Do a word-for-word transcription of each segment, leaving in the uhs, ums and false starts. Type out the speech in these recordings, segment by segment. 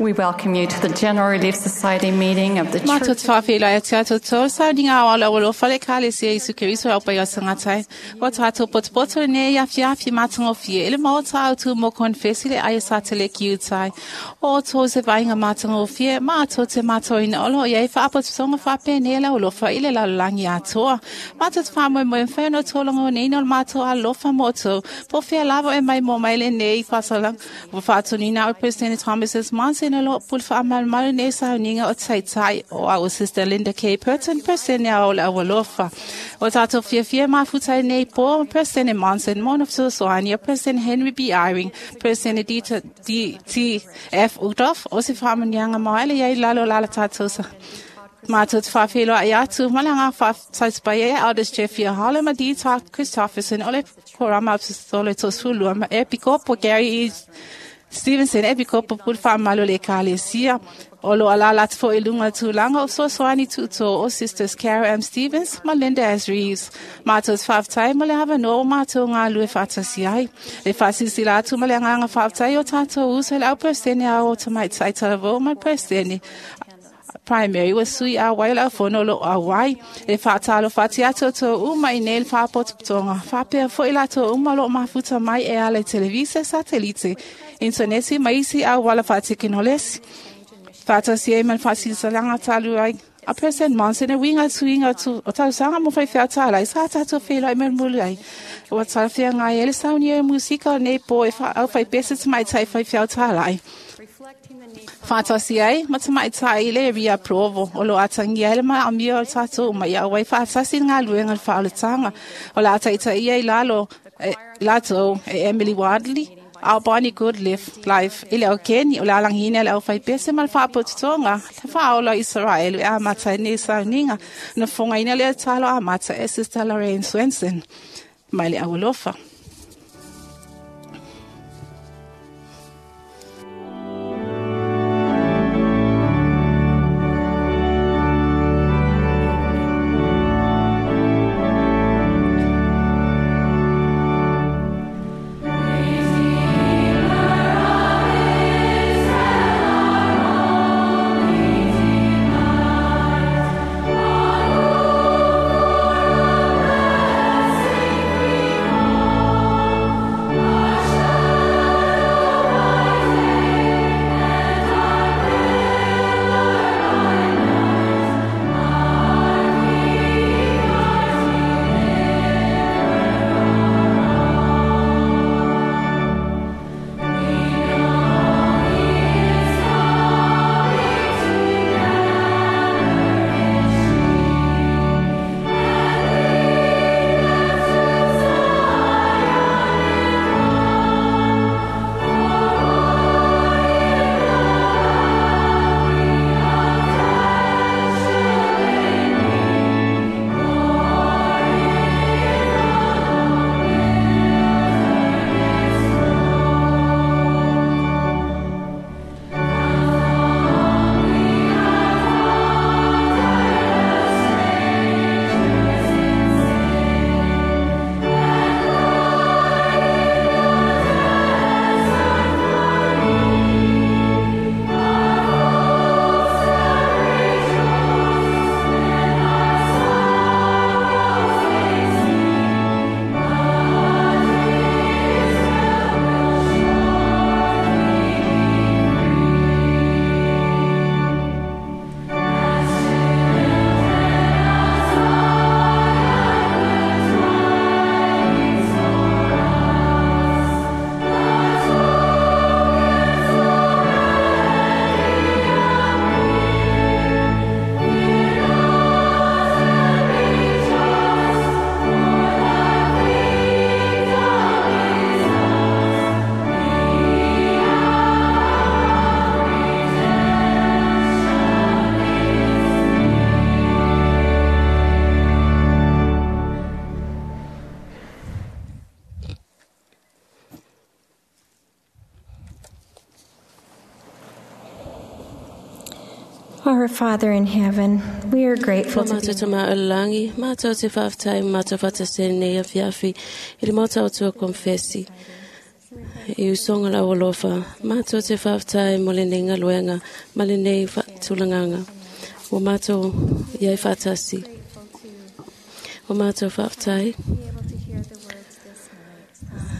We welcome you to the General Relief Society meeting of the Mātou Church. te whawhila e te ato tō, saoninga o ala o whale kale se Isu Keriso au pai o sangatai. O tātou potopoto nei awhi awhi mātangofie, ele maota au tū mō konfesi le aia sa te le ki utai. O tō se vainga mātangofie, mātou te mātou ina olo, iei whaapototonga whapene le olofa i le lalulangi atoa. Mātou te whamoe moe mwheno tōlongo nei no mātou alofa moto. Po whia lava e mai mō maile nei whasalang. Whaatonina o President Thomas S. Monson o lo pul whaamalmalu nei sauninga o taitai o our sister Linda K. Purton, President o le awalofa. O tātou whiawhia mafutai nei po, President Monson, Mona Soani, President Henry B. Eyring, President D. D. T. F. Udoff, o se whaamanianga maile iei lalo lala tātou sa. Mātou te whawhelo ai atu, malanga whātaispai e Aldous Jeffrey Harlem, ma D. T. Christopherson, ole korama apostole tosfulua, ma epikopo Gary E. Stevenson, epikopo pul whaamalo le kalesia. O lo alala te fo ilunga tūlanga o sosoani tūtō o Sisters Kara M. Stevens, ma Linda S. Reeves. Mātou te whāwhtai ma le hawa no mātou ngā lue whātasi ai. Le whāsisi lātu ma le ngānga whāwhtai o tātou uso le au perstene au o tamai taitalavō ma perstene. Primary was sui a wai la fono lo a wai e whātalo whati ato tō uma i nei whāpototonga. Whāpea fo i lato uma lo mafuta mai e ale televisa satelite. Interneti maisi a wala whātekinolesi. Whātasi e man whāsisalanga talu ai. A person Monson e winga tuinga tu o tausanga mo whai whia tālai sa tātou whenua i mulu ai. O tāwhia ngai ele sauni e musika nei po e wha au whai pese te mai tai whai whia tālai. Whātasi ai, ma te mai tai le ria provo, o lo atangi ele ma amia o tātou mai au wai whātasi ngā luenga whaolatanga. O la ataita ia i lalo, e, lato e Emily Wadley, au Bonnie Goodliff, life, ile o Keni, o la langina le au whai pese ma le whaapototonga, te whaola Israel, e a mata nei sauninga, na whonga ina le talo a mata e Sister Lorraine Swenson, mai le awalofa. Our Father in heaven, we are grateful to Mātou te maolangi, mātou te whaftai, mātou whatasene nei awhiawhi, i le mātou tua konfesi. i usoga le aualofa, matou te faafetai mo lenei galuega ma lenei faatulagaga ua matou iai faatasi. Ua matou faafetai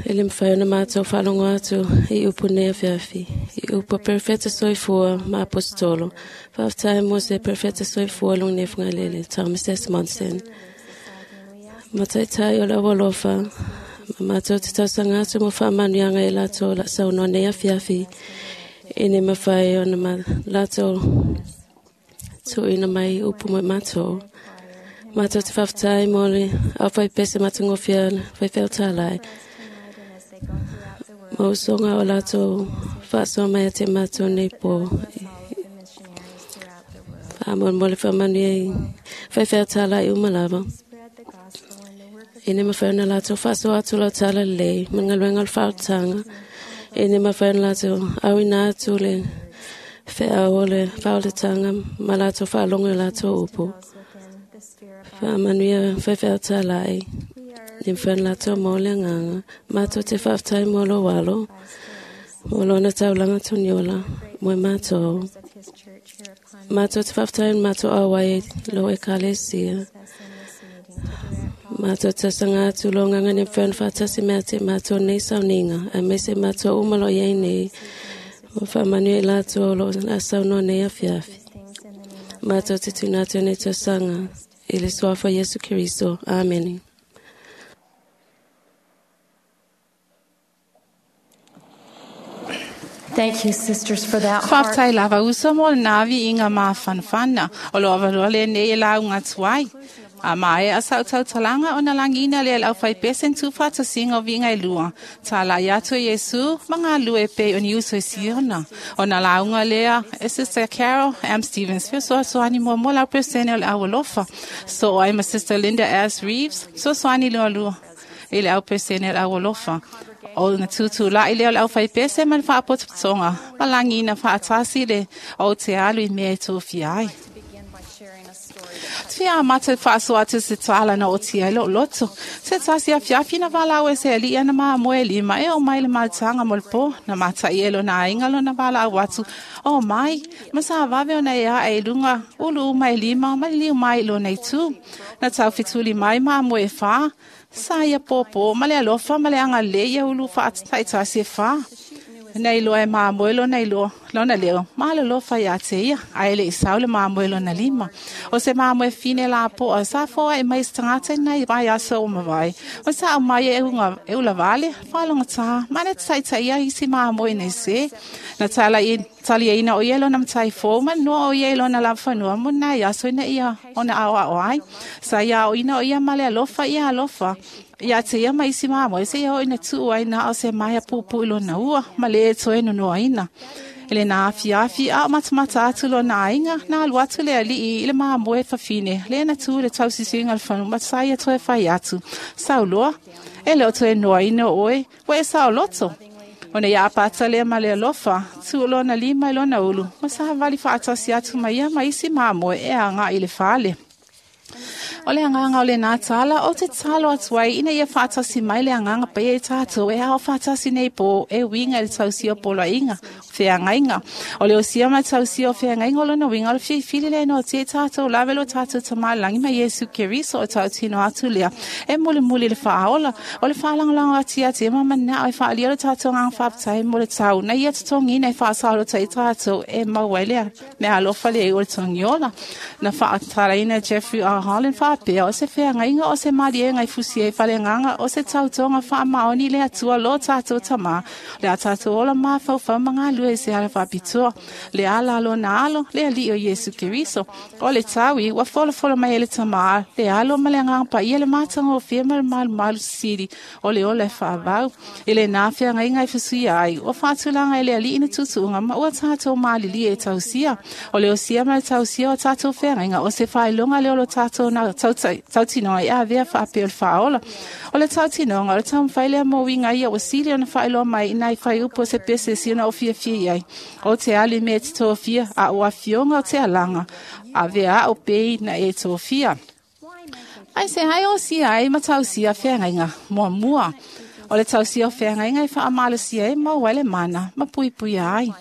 e le mafai ona matou faalogo atu i upu nei afiafi, i upu a perofeta soifua ma aposetolo. Faafetai mo se perofeta soifua luga nei Fagalele, Thomas S. Monson. Ma taitai o le aualofa, ma matou te tausaga atu mo faamanuiaga e latou la saunoa nei afiafi, ina mafai ona ma latou tuuina mai upu mo matou. Matou te faafetai mo le aufaipese matagofie faifeau talai, ma usoga o latou faasoa mai ia te matou nei po. Faamolemole faamanuia i faifeau talai uma lava, ina mafai ona latou faasoa atu lau tala lelei ma le galuega o le faaolataga, ina mafai ona latou auina atu le feau o le faaolataga ma latou faalogo i latou upu. Faamanuia faifeau talai, ina mafai ona latou maua le agaga. Matou te faafetai mo lou alo, mo lona taulaga toniola mo e matou. Matou te faafetai na matou auai i lou ekalesia. Matou te tausaga atu lo agaga ina mafai ona faatasi mai ia te matou nei sauniga, aemaise matou uma o lo o iai nei. Ma faamanuia i latou o lo o saunoa nei afiafi. Matou te tuuina atu nei tausaga i le suafa o Iesu Keriso. Amene. Thank you, sisters, for that heart. Faafetai lava uso mo le naviiga mafanafana o lo avanoa lenei e lauga atu ai. A mae a sau tautalaga ona lagina lea le aufaipese na tuufaatasiga o viiga e lua. Talai atu e Iesu ma galue pei o ni uso i Siona. Ona lauga lea e Sister Carol M. Stevens fesoasoani muamua lau peresene o le aualofa. Soo ai ma Sister Linda S. Reeves fesoasoani lualua i le au peresene o le aualofa. O na tutulai lea o le aufaipese ma le faapotopotoga ma lagina faatasi le o te alu i mea e tofia ai. Fia amata faasoa atu se tala na o tia i loo loto. Se tasi afiafi na valau e se ali ana maa moe lima e o mai le maltaga mo le po. Na matai e lona aiga lona valau atu. O mai, ma sa vave ona e a e lunga ulu uma e lima ma liu mai lona itu. Na tau fituli mai maa moe wha. Sa ia pōpō ma le alofa ma le anga le ia ulu whaataitasi e wha. Nei loa e māmoe lona i loa, lona leo, ma le lofa ia te ia, a ele i sau le māmoe lona lima. O se māmoe fine la poa, sa foa e mai stangata nei vai aso o mawai. O sa au mai e unga, e ula vale, whalonga tā, mane taita ia isi māmoe nei se. Na tala i tali e ina o ia lona matai fō, ma noa o ia lona lawhanua, mo nai aso ina ia ona ao ao ai. Sa ia o ina o ia male alofa ia alofa. Ia te ia mai isi māmoe, se ia o ina tuu ai na o se maia pupu i lona ua, ma le e toe nonoa ina. Ele nā afi afi a o matamata atu lona aiga, na alu atu le alii i le māmoe fafine, le na tū le tausisiuga le whanu, ma ia toe whai atu. Sauloa, e le o toe noa ina oe, ua e sao loto. Ona ia apata lea ma le alofa, tuu lona lima i lona ulu, ma sa wali whaatasi atu mai ia ma isi māmoe e anga i le whale. O le anganga o le nā tala, o te talo atu ai, ina ia whaatasi mai le anganga pe e tātou, e ao whaatasi nei po, e winga i le tausia o poloaiga, wheangainga. O le osia ma tausia o wheangainga o lona winga o le whiwhili le no te tātou, lawe lo tātou tamalangi ma Iesu Keriso o tautino atu lea. E muli muli le whaaola, o le whaalangalanga ati ati, e mamana o e whaalia le tātou ngang whaapatai mo le tau. Na ia totongi nei whaasalo tai tātou, e mauai lea, me alofa le e o le tongiola. Na whaataraina Jeffrey R. Holland whaapea o se wheangainga o se marie ngai fusi e whalenganga o se tautonga wha maoni le atua lo tātou tama le a tātou ola mawhau whaumanga lue se ala whapitua le ala lo na alo le ali o Iesu Keriso o le tawi wa fola fola mai ele tama le alo ma le anganga pa ia le mātanga o whia ma le malu malu siri o le ola e whaavau i le nā wheangainga i fusi ai o whaatulanga e le ali ina tutuunga ma ua tātou maalili e tausia o le osia ma le tausia o tātou wheangainga o se whailonga le olo tātou na tautinoga i avea faapea o le faaola. O le tautinoga o le taumafai lea mo uiga ia ua sili ona faailoa mai ina i faiupu o se pese sina o fiafia i ai. O te ali mea e te tofia a o afioga o te alaga avea ao pei na e tofia. Ai se ai o sia ai ma tausia feagaiga muamua. O le tausia o feagaiga e faamalosia ai ma maua ai le mana ma puipuia ai.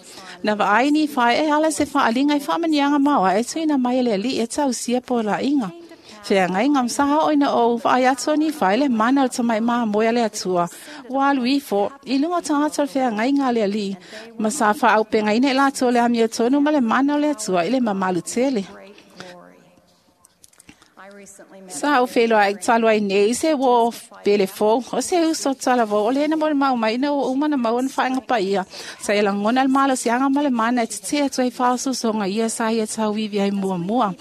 Na vaai Nifai e ala se faaliga i faamaniaga maoae e tuuina mai e le Alii e tausia polaʻiga. Feagaiga ma sa oo ina ou vaai atu o Nifai le mana o le tamaʻi mamoe a le Atua ua alu ifo i luga o tagata o le feagaiga a le Alii ma sa faaaupegaina i latou le amiotonu ma le mana o le Atua i le mamalu tele. Sa ou feiloai talu ai nei se uō pele fou o se uso talavou o lena mo le mau mai ina ua uma na maua na faaiga paia. Sa ia lagona le malosiaga ma le mana e tetē atu ai faaosoosoga ia sa ia tauivi ai muamua.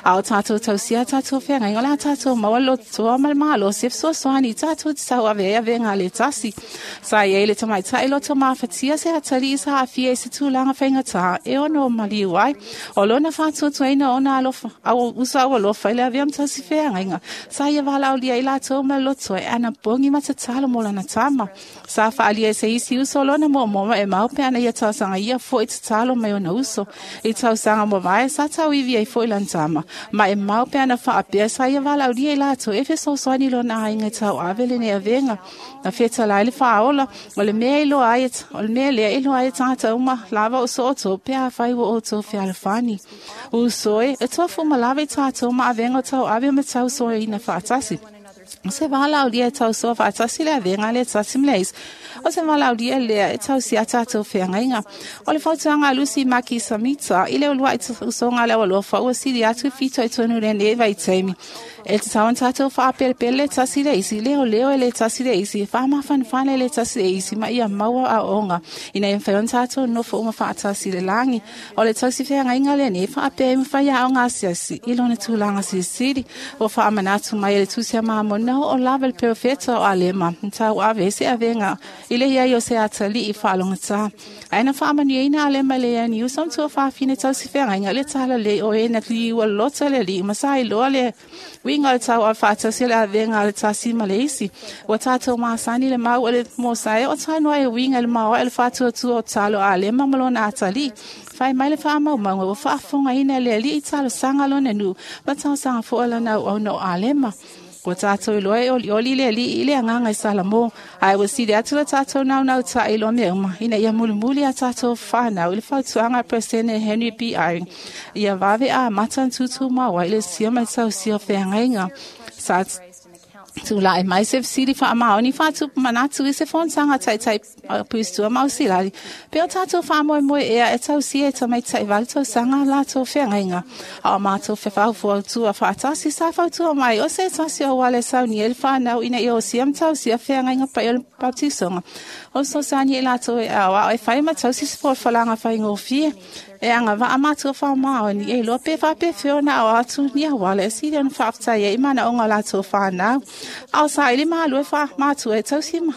A o tatou tausia tatou feagaiga o le a tatou maua le lototoa ma le malosi e fesoasoani i tatou te tauave ai avega a le tasi. Sa i ai le tamaitaʻi loto mafatia se atalii sa aafia i se tulaga faigatā e ono maliu ai. O lona faatuatuaina ona alofa au uso aualofa i le avea ma tausi feagaiga. Sa ia valaaulia i latou ma le loto e anapogi ma tatalo mo lana tama. Sa faaalia e se isi uso lona moomoma e mau pe ana ia tausaga ia foʻi tatalo mai ona uso. I tausaga mavae sa tauivi ai foʻi lana tama. Ma e mau pe ana faapea sa ia valaaulia i latou e fesoasoani lona aiga e tauave lenei avega. Na fetalai le faaola o le mea iloa ai o le mea lea e iloa ai e tagata uma lava o so outou pe afai ua outou fealofani. Uso e, e tofu ma lava i tatou ma avega o tauave ma tausoaina faatasi. O se valaaulia e tausoa faatasi le avega le tasi ma le isi. O se valaaulia lea e tausia tatou feagaiga. O le fautuaga a Lusi Maki Samita i le uluai usoga a le aualofa ua sili atu i fitoitonu lenei vaitaimi. E tatau ona tatou faapelepele le tasi le isi, leoleo e le tasi le isi, faamafanafana e le tasi le isi, ma ia maua aoaoga ina ia mafai ona tatou nofo uma faatasi i le lagi. O le tausi feagaiga lenei faapea e mafai aoga asiasi i lona tulaga silisili. Ua faamanatu mai e le tusi a Mamona o lava le perofeta o Alema, na tauave ai se avega i le iai o se atalii faalogatā. Ae na faamanuiaina Alema i le iai uso ma tuafafine tausi feagaiga i le talalei o e na liua loto le alii ma sa iloa le uiga o le tauave faatasi o le avega a le tasi ma le isi. Ua tatou masani le mau o le Mosae o tainoa e uiga i le maoae o le faatuatua o talo a Alema ma lona atalii. Fai mai le faamaumauga ua faafofogaina e le Alii i talosaga lona nuu ma talosaga foʻi lana auauna o Alema. Ua tatou iloa e olioli le Alii i le agaga i Salamo, ae ua sili atu le tatou naunautai iloa mea uma, ina ia mulimuli a tatou fanau i le fautuaga a Peresene Henry B. Eyring, ia vave amata ona tutumau ai le sia ma le tausia o feagaiga. Sa tulaʻi mai se fesili faamaoni faatupu manatu i se fonotaga taitai puisitua ma Ausilali. Pe o tatou faamoemoe ea e tausia e tamaitaʻi valu tausaga latou feagaiga. A o matou fefaufuautua faatasi sa fautua mai o se tasi o auala e saunia i le fanau ina ia osia ma tausia feagaiga paia o le baptisoga. O fesoasoani i latou e aoao e fai ma tausi se folafolaga faigofie. E agavaa matua faamaoni e iloa pe faapefea ona ao atu ni auala e sili ona faafetai ai i manaoga o latou fanau. A o saili malo e faamatua e tausi ma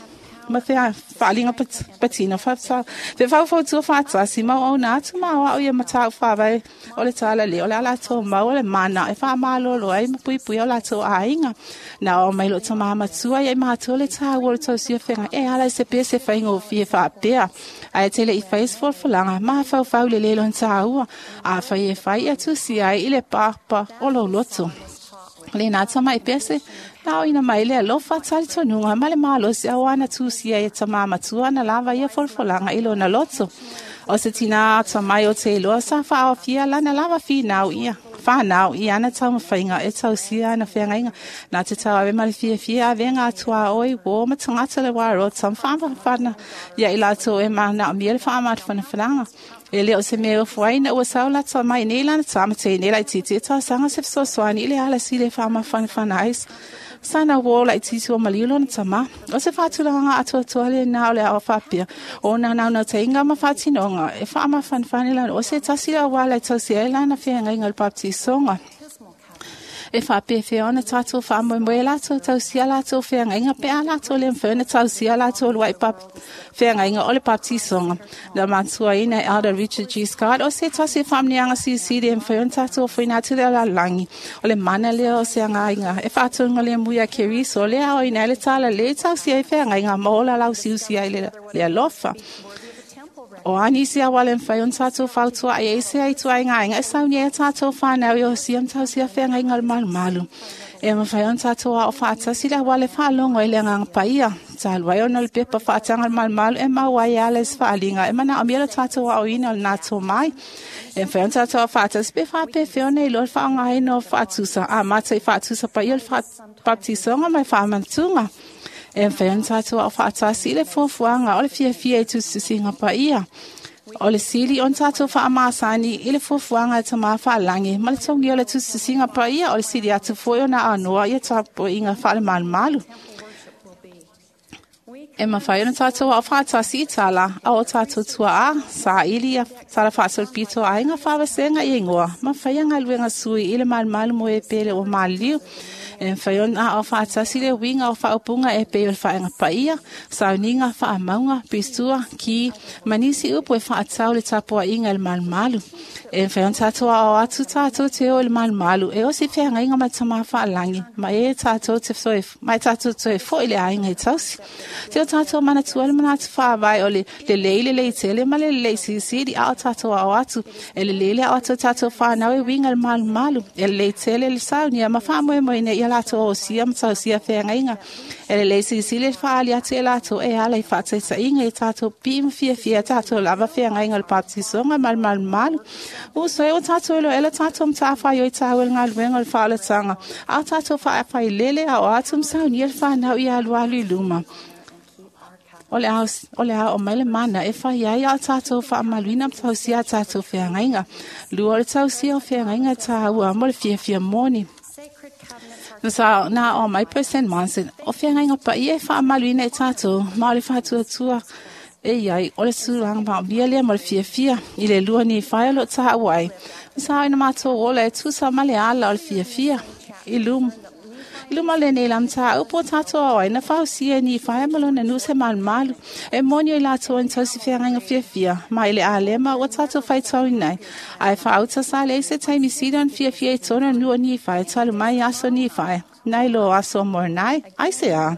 ma faaliga patino fefaufautua faatasi ma auauna atu ma aoao ia mataupu faavae o le talalei o le a latou maua le mana e faamalolo ai ma puipuia o latou aiga. Na oo mai loo tamā matua ia i matou le taua o le tausia feagai e ala i se pese faigofie faapea. Ae tele i fai se folafolaga mafaufau i le lē lona taua. Afai e fai ia tusia ai i le papa o lou loto. Lena tamaʻi pese na aoina mai le alofa talitonuga ma le malosi auā na tusia e tamā matua na lava ia folafolaga i lona loto. O se tinā atamai o te iloa sa faaofia lana lava finau ia whanau i ana taumafaiga e tausia ana feagaiga. Na te tauave ma le fiafia avega atuaoi uō ma tagata le uarota ma faamafanafana ia i latou e manaomia le faamafanafanaga. E le o se mea e ofo ai ina ua sau lata mai nei lana tama teine laitiiti e talosaga se fesoasoani i le ala sili e faamafanafana ai sana uō laitiiti ua maliu lona tamā. O se faatulagaga atoatoa lenā o le ao faapea o naunaunautaiga ma faatinoga e faamafanafana lana o se tasi le auala e tausia ai lana feagaiga o le baptisoga. E faapefea ona tatou faamoemoe latou tausia latou feagaiga pe a latou le mafai ona tausia latou uluai feagaiga o le baptisoga. Na matuaina e Elder Richard G. Scott o se tasi e faamanuiaga silisili e mafai ona tatou ofoina atu le lalolagi. O le mana lea o se agaiga e faatonuga le mui a Keriso le aoina ai le talalei tausia ai feagaiga ma ola lausiusi ai le, le alofa. O a nisi auala e mafai ona tatou fautuaʻi ai se ai tuaiga aiga e saunia ai tatou fanau e osia ma tausia feagaiga o le malumalu. E mafai ona tatou aʻo faatasi le auala e faalogo ai le agaga paia. Talu ai ona o le pepa faataga o le malumalu e maua ai e ala i se faaliga e manaomia le tatou aʻoina o lena tomai. E mafai ona tatou aʻo faatasi pe faapefea ona iloa le faaaogaina o faatusa amata i faatusa paia o le baptisoga ma le faamanatuga. E mafai ona tatou aʻo faatasi i le fuafuaga o le fiafia i tusitusiga paia. O le sili ona tatou faamasani i le fuafuaga e tamā faalagi ma le togia o le tusitusiga paia o le sili atu foi ona aonoa ia tapuaiga faalemalumalu. E mafai ona tatou aʻo faatasi i tala a o tatou tuaʻa, saili ia tala faasolopito a aiga faavasega i igoa, ma faia galuega sui i le malumalu mo e pele ua maliliu. E mafai ona aʻo faatasi le uiga o faaupuga e pei o le faaiga paia, sauniga, faamauga, pisua, ki, ma nisi upu e faatau le tapuaiga i le malumalu. E mafai ona tatou aʻo atu tatou te o i le malumalu e osi feagaiga ma le tamā faalagi, ma e tatou te toe, ma e tatou toe foi le aiga i tausi. Te o tatou manatua le manatu faavae o le lelei lelei tele ma le lelei silisili a o tatou aʻo atu. E lelei le aʻo atu o tatou fanau e uiga i le malumalu. E lelei tele le saunia ma faamoemoeina ia latou osia ma tausia feagaiga. E lelei silisili le faaali atu e latou e ala i faataitaiga i tatou pii ma fiafia tatou lava feagaiga o le baptisoga ma le malumalu. Uso e o tatou iloa ela tatou matafaioi taua i le galuega o le faaolataga, a o tatou faafailele aʻo atu ma saunia le fanau ia alualu i luma. O le ao, o le ao mai le mana e fai ai a o tatou faamaluina ma tausia a tatou feagaiga. Lua o le tausia o feagaiga taua mo le fiafia moni. Na sa na o mai President Monson, o feagaiga paia e faamaluina e tatou, ma o le faatuatua e iai o le tulaga maomia lea mo le fiafia i le lua ni fai o loo taua ai. Na sa ina matou ola e tusa ma le ala o le fiafia i luma. I luma o lenei lamata upu o tatou ao ai na fausia ni fai ma lona nuu se malumalu. E moni o i latou e tausi feagaiga fiafia, ma i le alema ua tatou faitauina ai. Ae faauta sa leai se taimi sili ona fiafia i tonu o le nuu o Nifai talu mai aso Nifai, nai lo aso o Moronai, ai se a.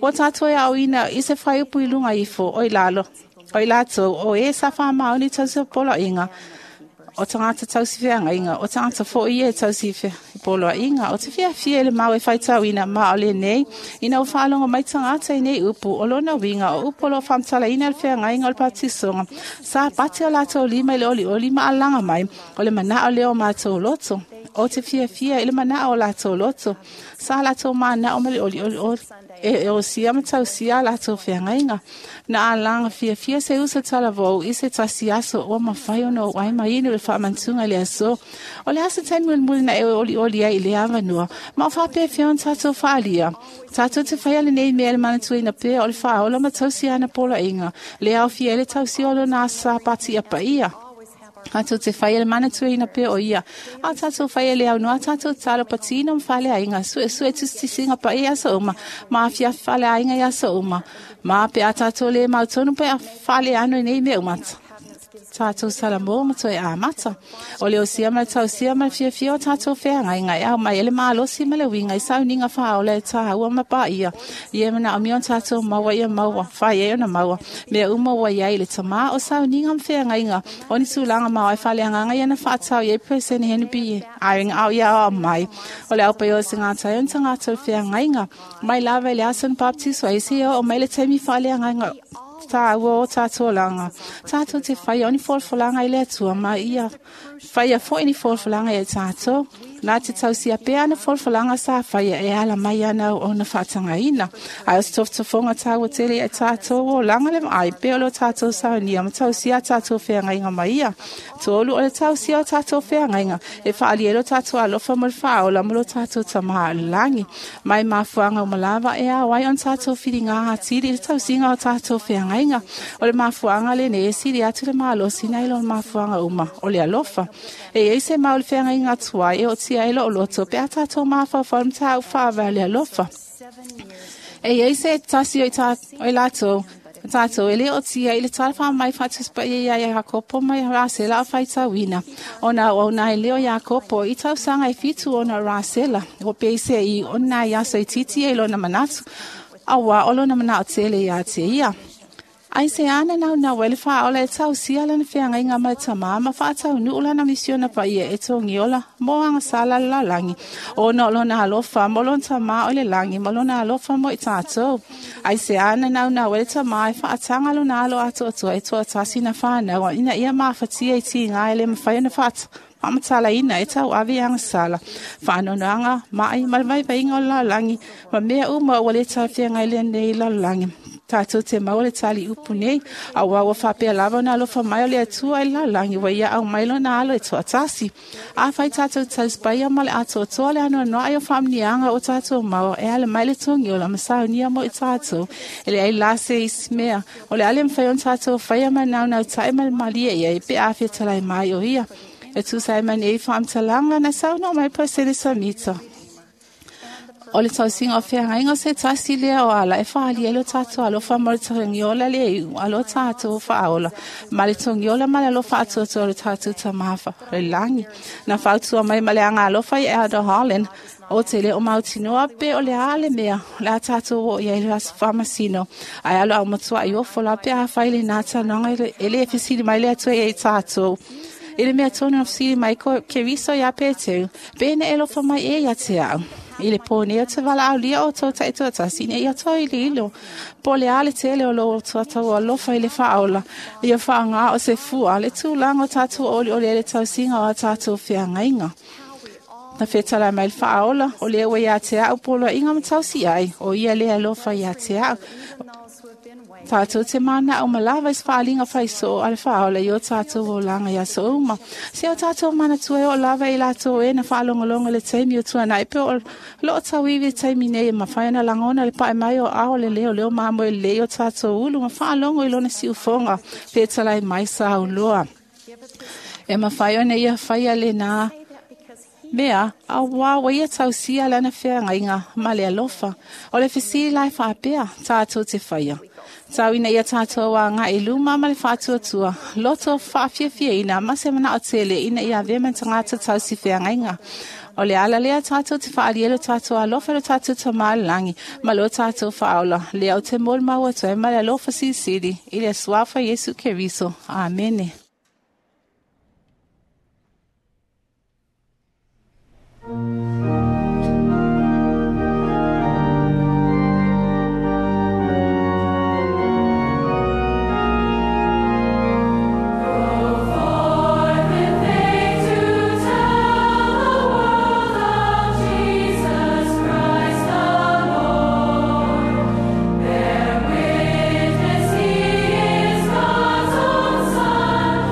Ua tatou e aoina i se faiupu i luga ifo o i lalo, o i latou o e sa faamaoni tausi o poloaiga, o tagata tausi feagaiga, o tagata foi ia e tausi poloaiga, o te fiafia i le mau e faitauina ma o lenei, ina ua faalogo mai tagata i nei upu, o lona uiga o upu o loo faamatalaina le feagaiga o le baptisoga, sa pati o latou lima i le olioli ma alaga mai, o le manao lea o matou loto. O te fiafia i le manao o latou loto, sa latou manao ma le olioli o e osia ma tausia a latou feagaiga. Na alaga fiafia se uso talavou i se tasi aso ua mafai ona ou ai mainu le faamantuga i le aso. O le aso taimi mulimuli na e olioli ai i le avanoa, ma o faapefea ona tatou faalia. Tatou te faia lenei mea le manatuina pea o le faaola ma tausia ana poloaiga, le aofia ai le tausia o lona aso Sapati ia paia. Tatou te faia le manatuina pea o ia. A tatou faia le aunoa tatou talo patino ma faleaiga, suesue tusitusiga paia i aso uma, ma afiafi faleaiga i aso uma. Ma pe a tatou le mautonu pe a faleano i nei mea uma. Tatou salamo ma toe amata. O le osia ma le tausia ma le fiafia o tatou feagaiga e ao mai e le malosi ma le uiga i sauniga faaola e taua ma paia. Ia manaomia ona tatou maua ia maua, fai ai ona maua. Mea uma ua iai le tamā o sauniga ma feagaiga, o ni tulaga maoae faaleagaga ia na faatau i ai President Henry B. Eyring au ia ao mai. O le aupai o se gata ai ona tagata o le feagaiga. Mai lava i le aso na baptiso ai se o mai le taimi faaleagaga taua o tatou olaga. Tatou te faia o ni folafolaga i le Atua ma ia faia foi ni folafolaga ia tatou. Na te tausia pea ana folafolaga sa faia e ala mai ana ona faatagaina. Ae o se tofotofoga taua tele ia tatou olaga le vaai pea o lo tatou saunia ma tausia a tatou feagaiga ma ia. Tolu o le tausia o tatou feagaiga e faaali ai lo tatou alofa mo le faaola ma lo tatou tamā o le lagi. Mai mafuaga uma lava e ao ai ona tatou filiga atili i le tausiga o tatou feagaiga. O le mafuaga lenei e sili atu le malosi nai lo le mafuaga uma o le alofa. E iai se mau le feagaiga atuai e otia ai loo loto pe a tatou mafaufau ma tāu faavae o le alofa. E iai se tasi o i ta, o i latou tatou e le otia i le tala faamai faatusipaia ia Iakopo ma Rasela o faitauina. Ona o ona e leo Iakopo i tausaga e fitu ona o Rasela, o peise i ona i aso i titi e lona manatu, auā o lona manao tele ia te ia. Ai se ana nau nau ele whaola e tau sia lana whianga inga mai tamā ma whaatau nu'u lana misiona pa ia e tōngiola mo anga sala la langi. O no lona alofa mo lona tamā o le langi mo lona alofa mo i tātou. Ai se ana nau nau ele tamā e whaatanga lona alo ato atua e toa tasi na whanau ina ia maafatia i ti ngā ele mawhai ona whaata. Whamatala ina e tau awe anga sala. Whaanonoanga mai malvai vainga o la langi. Ma mea uma o le tau whianga ile nei la langi. Tātou te mau le tali upu nei. A wawa whapea lava na alofa mai o le atua i la langi. Wa ia au mai lona alo e toa tasi. A whai tātou tauspaia ma le atoa toa le anoa noa i o whamnianga o tātou mau. E ale mai le tongi o la masau nia mo i tātou. Ele ai la se ismea. O le ale mwhai on tātou whaia manau nau tae mal malia ia i pe awhia talai mai o ia. E tu sai mani e whaamtalanga na sau no mai pa sene samita. O le tausinga o whiangainga se tasi lea o ala e whaali elo tātou alofa mo le tongiola le iu alo tātou whaaola. Ma le tongiola ma le alofa atoatoa le tātou tamafa le langi. Na whautua mai ma le anga alofa i Elder Holland. O te le o mautinoa pe o le ale mea. Le a tātou o ia i le whamasino. Ai alo au matua i ofo la pe a whaile nā tanonga e le e fisili mai le atua i tātou. I le mea tōnu na fisili mai ko ke riso ia pēteu, pēne e lofa mai e ia te au. I le pōne o te wala au lia o tō taitoa tasine i o tō i le ilo. Po le ale tele o lo o tuatau o alofa i le whaola. I o whaanga o se fua le tūlanga o tātou oli o le ele tausinga o a tātou whiangainga. Na whetala mai le whaola o le ua ia te au polo inga matausi ai o ia le alofa ia te au. Tātou te mana o malawa is whaalinga whaiso o ale whaola i o tātou o langa ia so uma. Se o tātou mana tue o lava i lātou e na whaalongolongo le teimi o tua nai pe o lo tauiwi teimi nei ma whaina langona le pae mai o ao le leo leo maamo e le o tātou ulu ma whaalongo i lona si ufonga pētalai mai sa uloa. E mawhai ona ia whaia le nā mea, a wā ia tausia lana whiangainga ma le alofa. O le fisili lai whaapea, tātou te whaia. Tau ina ia tātou a ngā iluma ma le whātuatua. Loto whaafiafia ina ma se mana o tele ina ia vema tangata tau si whiangainga. O le ala lea tātou te whaalielo tātou alofa le tātou tamalangi ma lo tātou whaola. Lea o te mol maua toe ma le alofa sisili. I le suafa Yesu Keriso. Amene. He is God's own Son.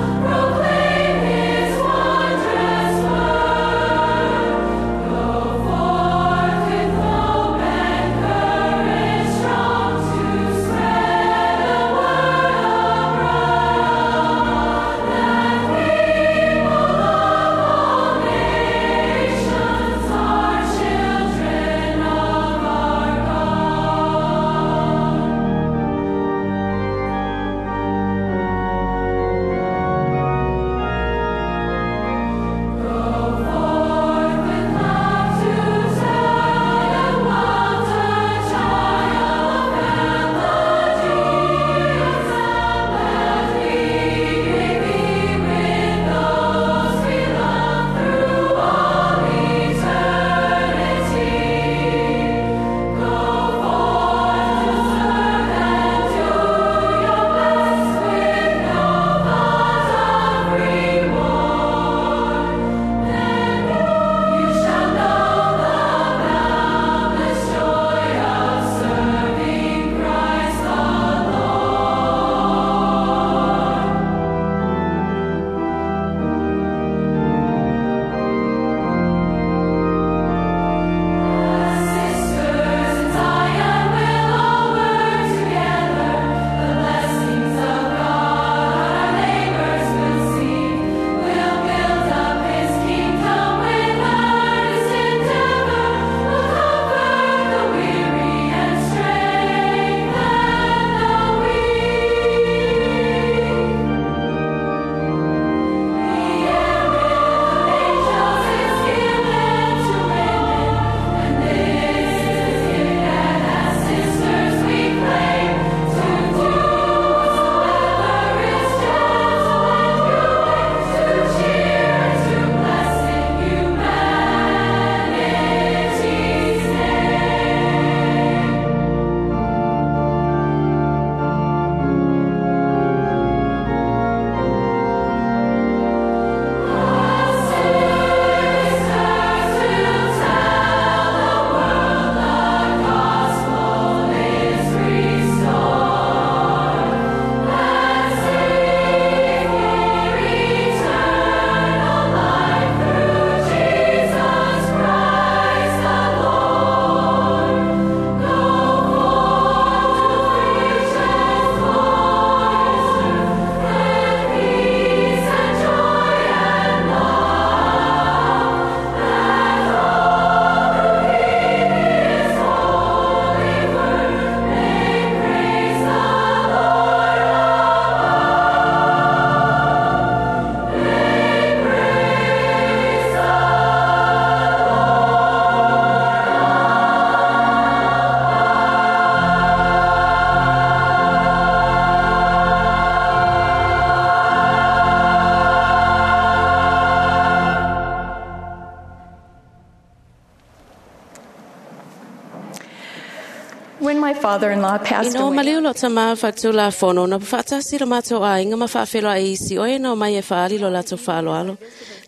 When my father-in-law passed Ina o away, maliu lo tama whatula fono na whaatasi lo mātou ainga ma whaawhelo a isi o e nau mai e whaali lo lato whaaloalo.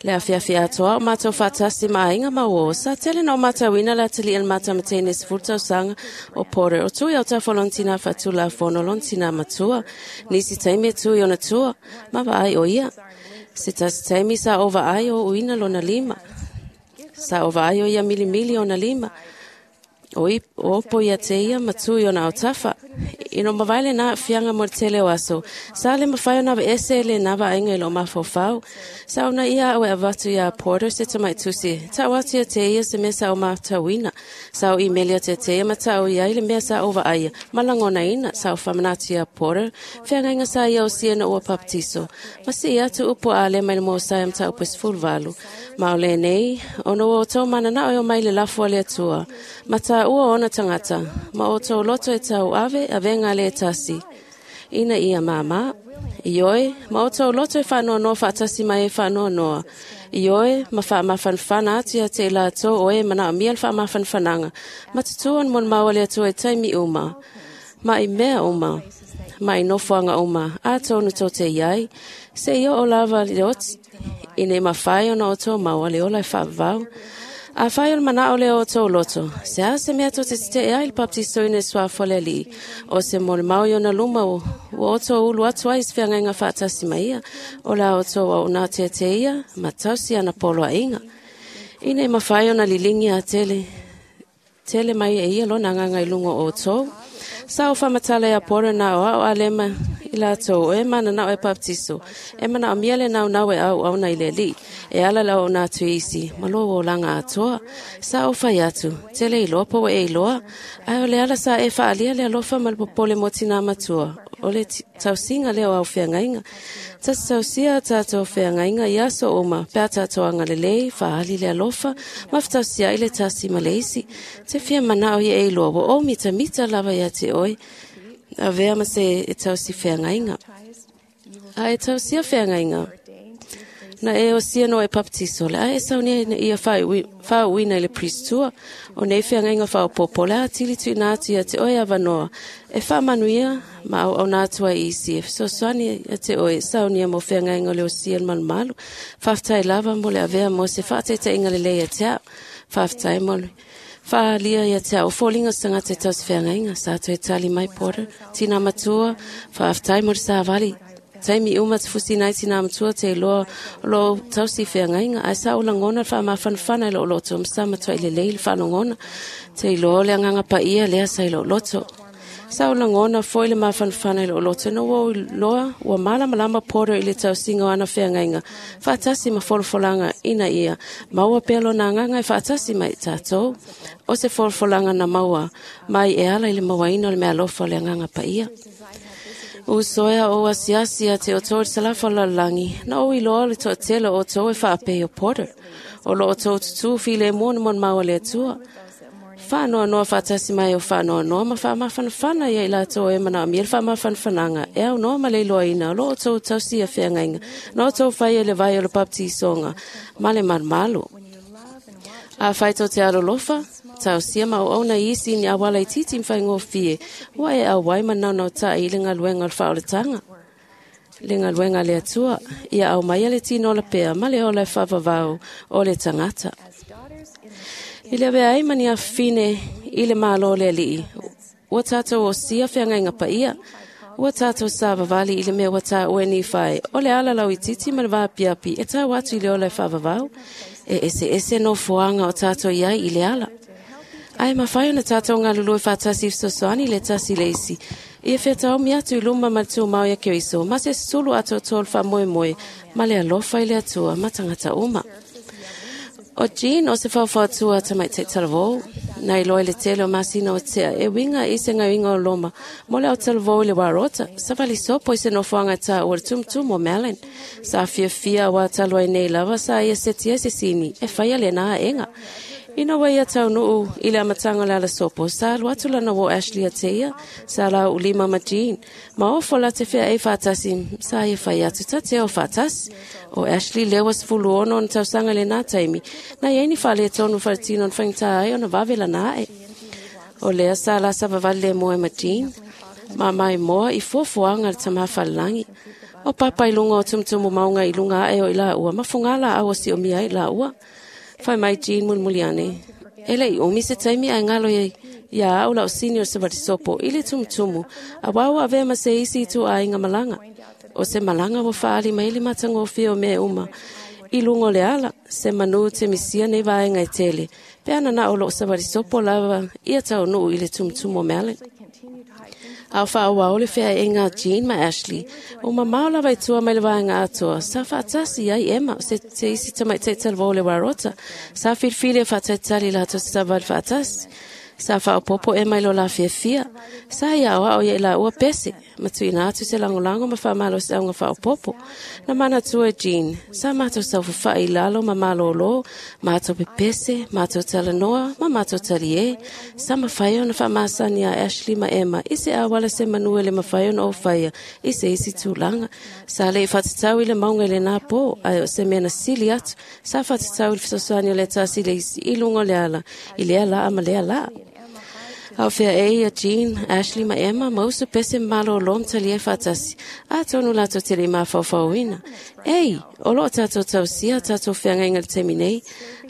Le awhiawhi atoa o mātou whaatasi ma ainga ma o sa tele na o mātou ina la tali el mata matene sefulu sanga o Porter o tui o tawha lontina whatula fono lontina matua. Nisi taimi e tui ona tua ma vaai o ia. Se tasi taimi sa o vaai o uina lona lima. Sa o vaai o ia milimili ona lima. O i o opo ia te ia matui o na autafa. Ino mawaile na fianga mo tele o aso. Sa le mawhai o na ese le na vaenga i lo mawhawhau. Sa ona ia au e avatu ia Porter se tamai tusi. Ta o atu ia te ia se mea sa o mātauina. Sa o imelia te te ia matau ia i le mea sa o vaaia. Malangona ina sa o whamanatu ia Porter. Whiangainga sa ia o sia na ua paptiso. Ma si ia tu upo a le mai le mō sa ia mta upo sefulu valu. Ma o le nei, ono o tō mana na o mai le lafu a le atua. Mata ua ona tangata, ma o tō loto e tau ave, avenga le tasi. Ina ia māmā, ioe, ma o tō loto e whanoa noa whaatasi mai e whanoa noa. Ioe, ma wha mawhanwhana atu ia te la tō oe mana o mia le wha mawhanwhananga. Ma tutuan mon maua le atua e taimi uma. Ma i mea uma. Ma i nofoanga uma. A tōnu tō te iai. Se i o lava le oti. Ine mawhai ona o tō maua le ola e whaavau. A whai o le mana o le o tō loto. Se a se mea tō te te ai le baptiso ine sua fole li. O se mo le mau i ona luma o o tō ulu atu ai se whiangainga whaatasi mai ia. O la o tō au nā te te ia, ma tausi ana polo a inga. Ine mawhai ona lilingi a tele. Tele mai e ia lona nganga i lungo o tō. Sa o whamatala ia pora nā o ao alema i la tō e mana nā o e baptiso. E mana o miele nau nau e au au na i le li. E ala la o nā tuisi, ma lo o langa atoa. Sa o whai atu, tele i loa po e i loa. Ai o le ala sa e whaalia le alofa ma le popole mo tina matua. O le tausinga leo au whiangainga. Tasi tausia tātou whiangainga i aso oma, pea tātou anga lelei, whaali le alofa, ma whtausia i le tasi maleisi. Te whia mana o i e iloa, wa o mita mita lava ia te oi. A vea ma se e tausi whiangainga. A e tausia whiangainga. Na e o sia no e paptiso le a e saunia ia whaauina i le pristua o nei whiangainga whaopopo le a tili tui nā atu ia te oe awanoa e whaamanuia ma au au nā atua i isi e fesoasoani ia te oe saunia mo whiangainga o le o sia le malumalu whaftai lava mo le avea mo se whaataitainga le lei ia te au whaftai mo le whaalia ia te au fōlinga sangata e tausi whiangainga sa atu e tali mai Porter tina matua whaftai mo le sāvali Taimi uma te fusi nei tina matua te loa lo tausi whiangainga ai sa o langona wha mawhanwhana i lo loto msa matua i le lei le whanongona te iloa le anganga pa ia lea sa i lo loto. Sa o langona foi le mawhanwhana i lo loto no ua loa ua malamalama Porter i le tausinga o ana whiangainga whaatasi ma folofolanga ina ia maua pea lona anganga e whaatasi mai tātou o se folofolanga na maua mai e ala i le mauaina o le mea alofa o le anganga pa ia. O soea o asiasi a te o tō salafa lalangi, na o iloa le toatele o tō e whaapei o Porter. O lo o tō tutu file mona mon maua le atua. Whanoa noa whaatasi mai o whanoa noa ma whaamawhanawhana ia i la tō e mana o miel whaamawhanawhananga. E au noa ma le iloa ina, o lo o tō tausi a whiangainga. Na o tō whai e le vai o le baptisonga, ma le malumalu. A whai tō te alolofa, tausia ma o ona isi ni awala i titi mwhai ngō Ua e au wai manau nau ta i le ngaluenga o le whaoletanga. Le ngaluenga le atua, ia au mai le tino la pea, ma le ola e whawawau o le tangata. I le avea ai mani a whine i le mālo le alii. Ua tātou o sia whiangainga pa ia. Ua tātou sa vavali i le mea ua tā ue ni whai. O le ala lau i titi ma le vāpiapi e tau atu i le ola e whawawau. E ese ese no fuanga o tātou iai i le ala. Ai mawhai ona tātou ngā lulu e whātasi sosoani le tasi le isi. Ia whetau mi atu i luma ma le tūmau ia Keriso, ma se sulu ato tōl wha moe moe, ma le alofa i le atua, ma tangata uma. O Jean o se whawhautua tamai te talavou, na i loe le tele o masina o tea, e winga i se ngawinga o loma, mo le o talavou i le warota, sa vali sopo i se nofoanga tā o le tumutumu o Melon. Sa fia fia wa talua i nei lava, sa ia setia se sini, e whaia le nā enga. Ina wai ia tau nuu i le amatanga le ala sopo, sa alu atu lana wo Ashley a te ia, sa la u lima ma Jean. Ma ofo la te whea e whaatasi, sa ia whai atu ta te o whaatasi. O Ashley lewa sefulu ono na tausanga le nā taimi, na ia ni whale tonu wharatino na whaingta ai ona vave la nā e. O lea sa la sa vavale le moe ma Jean. Ma mai moa i fuafuaga le tamāfalelagi. O papa i luga o tumutumu mauga i luga aʻe o i laua ma fugā laau o siomia ai laua. Fai mai Jean mulimuli ane. E leʻi umi se taimi ae galo ia ia au lau sini o se valisopo i le tumutumu a wau avea ma se isi i tuaaiga malaga. O se malaga ua faaali mai le matagofie o mea uma. I luga o le ala, se manu te misia nei vaega e tele. Pe ana na o loo savalisopo lava ia taunuu i le tumutumu o meale. A o faaauau le feaʻaiga a Jean ma Ashley. O mamao lava i tua mai le vaega atoa. Sa faatasi ai Emma se te isi tamaitaʻi talavou o le Warota. Sa filifili e faatalitali latou se savali faatasi. Sa faaopopo Emma i lo la fiafia. Sa ia aoao ia i laua pese. Ma tuuina atu se lagolago ma faamalosiauga faaopopo. Na manatua e Jean. Sa matou saufafaʻi i lalo ma malōlō, matou pepese, matou talanoa, ma matou taliē. Sa mafai ona faamasani a Ashley ma Emma i se auala se manu e le mafai ona oufaia i se isi tulaga. Sa leʻi faatatau i le mauga i lenā pō, ae o se mea na sili atu. Sa faatatau i le fesoasoani o le tasi le isi i luga o le ala, i lea laa ma lea laa. A o feaei ia Jean, Ashley ma Emma ma uso pese malōlō ma talia faatasi. Atonu latou te leʻi mafaufauina. Ei, o loo tatou tausia tatou feagaiga le taimi nei.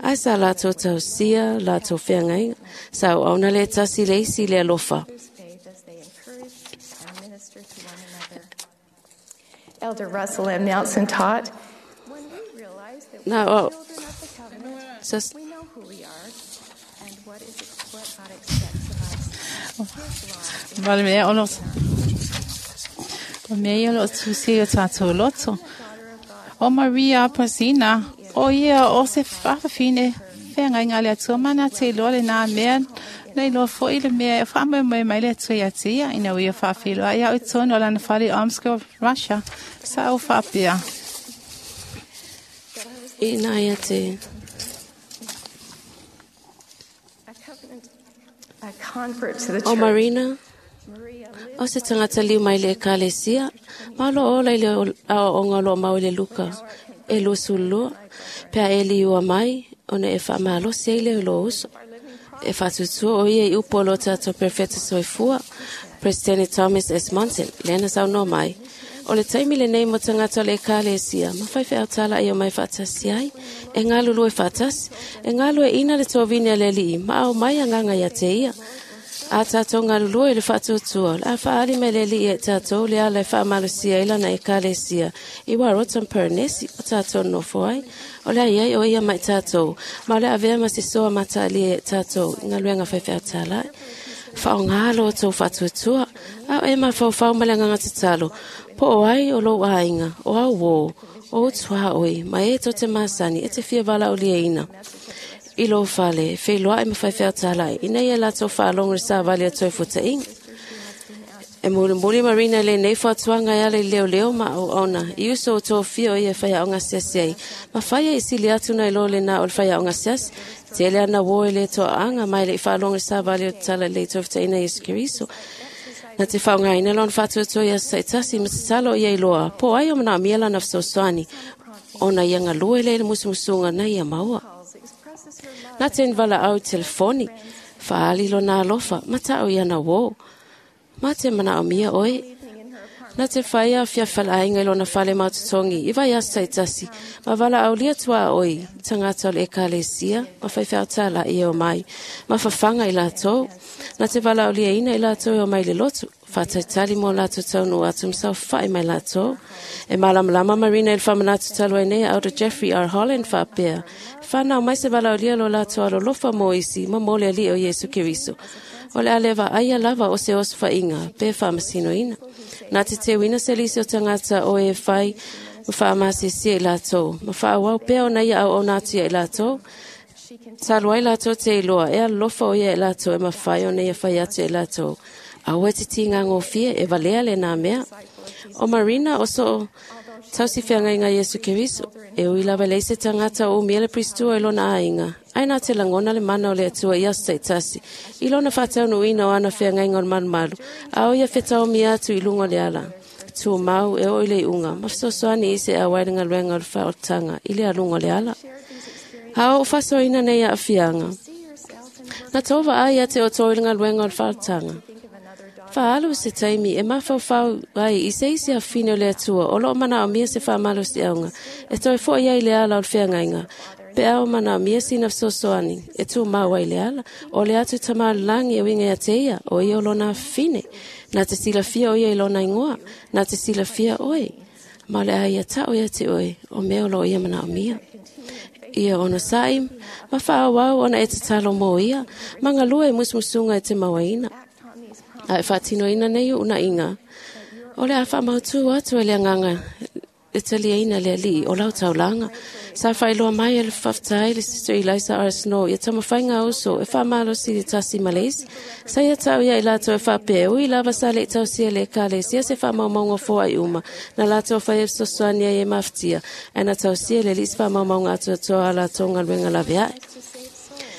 Ae sa latou tausia latou feagaiga. Sa auauna le tasi le isi i le alofa. Elder Russell M. Nelson taught, when we realize that we Na are o children of the covenant, sa we know who we are and what is what God expects of us. His law Vale mea o lo o mea ia o lo tusi o tātou loto. O Maria Pasina, o ia o se faafafine feagaiga a le Atua mana te iloa lenā mea na iloa foʻi le mea e faamoemoe mai le Atua iā te ia ina ua ia faafiloaʻi au i totonu o lana fale i Omsk, Russia. Sa ou faapea. Ina ia te A covenant, a convert to the O church. Marina, Maria lived o se tagata liu mai le ekalesia, ma o loo ola i le aoaoga o loo mau i le Luka e luasululua, pe a e liua mai, ona e faamalosi ai lea i loo uso. E faatutua o ia i upu o lo tatou perfeta soifua, Presidente Thomas S. Monson, lea na saunoa mai. O le taimi lenei mo tagata o le ekalesia, ma faifeau talaʻi o mai faatasi ai, e galulue faatasi, e galueʻina le tovini a le alii, ma ao mai agaga ia te ia. A tatou galulue i le faatuatua, o le a faaali mai le alii e tatou le ala e faamalosia ai lana ekalesia, i Warota ma Paranesi o tatou nofo ai. O le ai ai o ia mai tatou, ma o le avea ma se soa mataalia e tatou i galuega faifeau talaʻi. Faaaogā lo outou faatuatua, a o e mafaufau ma le agaga tatalo, po o ai o lou aiga, o au uō, o utuaʻoi, ma e tou te masani e te fia valaauliaina. I lou fale, e feiloaʻi ma faifeau talaʻi, ina ia latou faalogo i le savali a toe futaʻiga. E mulimuli Marina i lenei fautuaga e ala i leoleo ma auauna, i uso o tofia o ia e faiaoga asiasi ai. Ma faia i sili atu nai lo lenā o le faiaoga asiasi, tele ana uō e le toaaga ma e leʻi faalogo i le savali o le tala lelei toefutaʻina Iesu Keriso. Na te faaaogaina lona faatuatua i aso taʻitasi ma tatalo o ia iloa, po o ai o manaomia lana fesoasoani, ona ia galue lea i le musumusuga na ia maua. calls expresses her love Na te valaau i telefoni, faaali lona alofa, ma taʻu i ana uō. Ma te manaomia oe. evening in her apartment. Na te whaia fia whalainga i lona fale mautotongi, i vai aso taitasi, ma valaaulia tuaʻoi, tagata o le ekalesia, ma faifeau talaʻi e o mai, ma fafaga i latou, na te valaauliaina i latou e o mai le lotu, faataitali mo latou taunuu atu ma saofaʻi mai latou. E malamalama Marina i le faamanatu talu ai nei a Elder Jeffrey R. Holland faapea, fanau mai se valaaulia lo latou alolofa mo isi ma mo le alii o Iesu Keriso. O le a le vaaia lava o se osofaʻiga pe faamasinoina. Na te teuina se lisi o tagata o e fai ma faamasiesie i latou, ma faaauau pea ona ia auauna atu ia i latou. Talu ai latou te iloa, e alolofa o ia i latou e mafai ona ia fai atu i latou. Aua e te tigagofie e valea lenā mea. O Marina o soo tausi feagaiga Iesu Keriso, e ui lava leai se tagata o umia le pristua i lona aiga. Ae na te lagona le mana o le Atua i aso taitasi, i lona faataunuuina o ana feagaiga o le malumalu, a o ia fetaomia atu i luga o le ala. Tumau e oo i le iuga, ma fesoasoani i se auai le galuega o le faaolataga i le aluga o le ala. Shared these experiences. A o ou faasoaina nei aafiaga, See yourself in Na tova ai a te o toi lenga luenga o le whaatanga. Whaalu se taimi e mawhauwhau ai i se isi a whine o le atua o loo mana o mia se whamalo si aunga. E toi fo ia i le ala o le wheangainga. Pe ao mana o mia sina sosoani e tū mau ai le ala. O le atu tama langi e winga ia te ia o ia o lona whine. Nā te sila fia o ia i lona ingoa. Nā te sila fia oe. Ma le ai ia tau ia te oe o mea o lo ia mana o mia. Ia ona sa'i, ma whaawau ona e te talo mō ia, ma ngā lua e musmusunga e te mawaina. A e whaatino ina nei una inga. O le a whamautu atu e le anganga e talia ina le ali o lau taulanga. Sa whailoa mai e le whaftai le Sister Eliza R. Snow ia tamawhainga uso e whamalo si le tasi maleisi. Sa ia tau ia i lātou e whapea ui lava sa le tau sia le kale sia se whamaumaunga fō ai uma. Na lātou whai e sosoania e maftia. E na tau sia le lis whamaumaunga atu atoa a lātou ngaluenga lawe ai.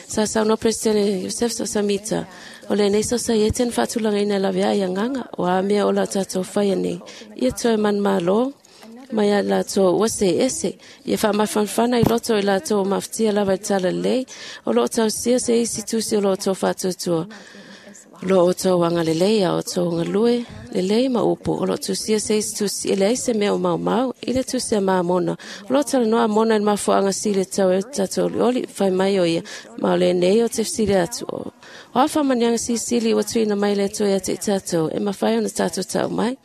Sa sauno Presidente Joseph Samita. O le nei sosaiete na whaatulanga ina lawe ai anganga o a mea o la tātou whaia nei. Ia toe man malo mai a lātou ua se ese. Ia whaamawhanwhana i loto i lātou o mawhtia lava i tala lei. O loo tau sia se isi tusi o loo tau whaatutua. Lo o tau anga lelei a o tau ngalue lelei ma upu. O loo tusia se isi tusi ele ai se mea o mau mau i le tusia maa mona. O loo tala noa mona i mafuanga sile tau e tatou oli whai mai o ia. Ma o le nei o te sile atu o. O a whamanianga sisili o tuina mai le toi a te tatou e mawhai ona tatou tau mai.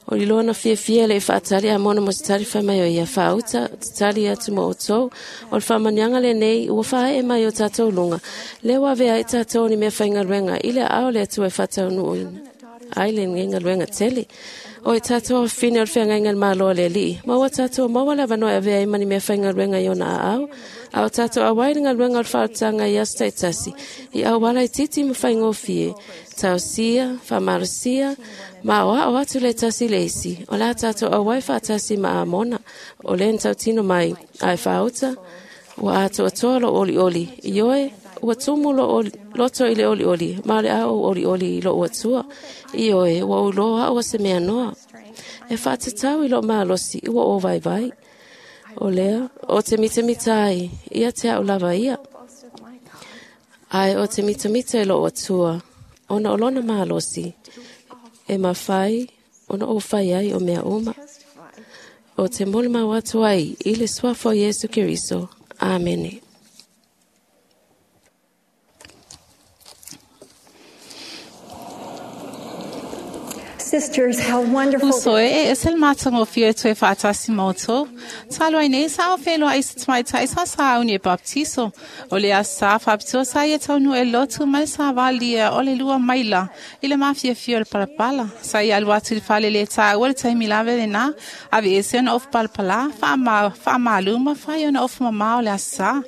O liloa na fia fia le whaatali a mona mo te tali whai mai o ia whaauta, te tali atu mo o tau. O le whamanianga le nei, ua whae e mai o tātou lunga. Le wawea i tātou ni mea whainga luenga, i le ao le atu e whatau nuuina. Ai le ngenga luenga tele. O i tātou a whine o le whangainga le māloa le li. Maua tātou maua lava noa e avea i mani mea whainga luenga i ona a au. A o tātou a wai nga luenga o le whaatanga i asta i tasi. I au wala i titi ma whaingofie. Tau sia, whamarasia, ma o ao atu le tasi le isi. O la tātou a wai whaatasi ma a mona. O le ntau tino mai. Ai whaauta, ua atu atoa lo oli oli. I oe, ua tumu lo oli, loto i le oli oli. Ma le ao oli oli i lo atua. I oe, ua uloa ua se mea noa. E whaatatau i lo maalosi, ua o vai vai. O lea, o te mitamita ai, ia te au lava ia. Ai o te mitamita i lo atua. Ona o lona maalosi. E mawhai, ona o whai ai o mea uma. O te mole mau atu ai, i le suafo Yesu Keriso. Amene. Sisters, how wonderful. Uso e e sel matanga o fia toe whaatasi mautou. Talo ai nei sa o whenua i se tamaitai sa sa au ni e baptiso. O le a sa whapitoa sa ia taunu e lotu mai sa valia o le lua maila i le mafia fia o le palapala. Sa ia alu atu i le whale le tā ua le taimi lave le nā. Ave ese ona ofu palapala, whaamaluma, whai ona ofu mamao le asa.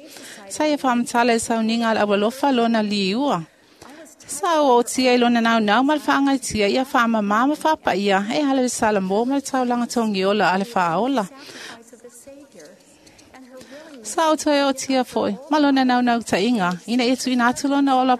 Sa ia whaamatala e sauninga al awalofa lona liua. Sa o tia i lona nau nau ma le whaangaitia ia whaamama ma whaapaia e hala le salamo ma le taulanga tongiola a le whaaola. Sa o toe o tia foi, ma lona nau nau tainga, ina ia tuina atu lona ola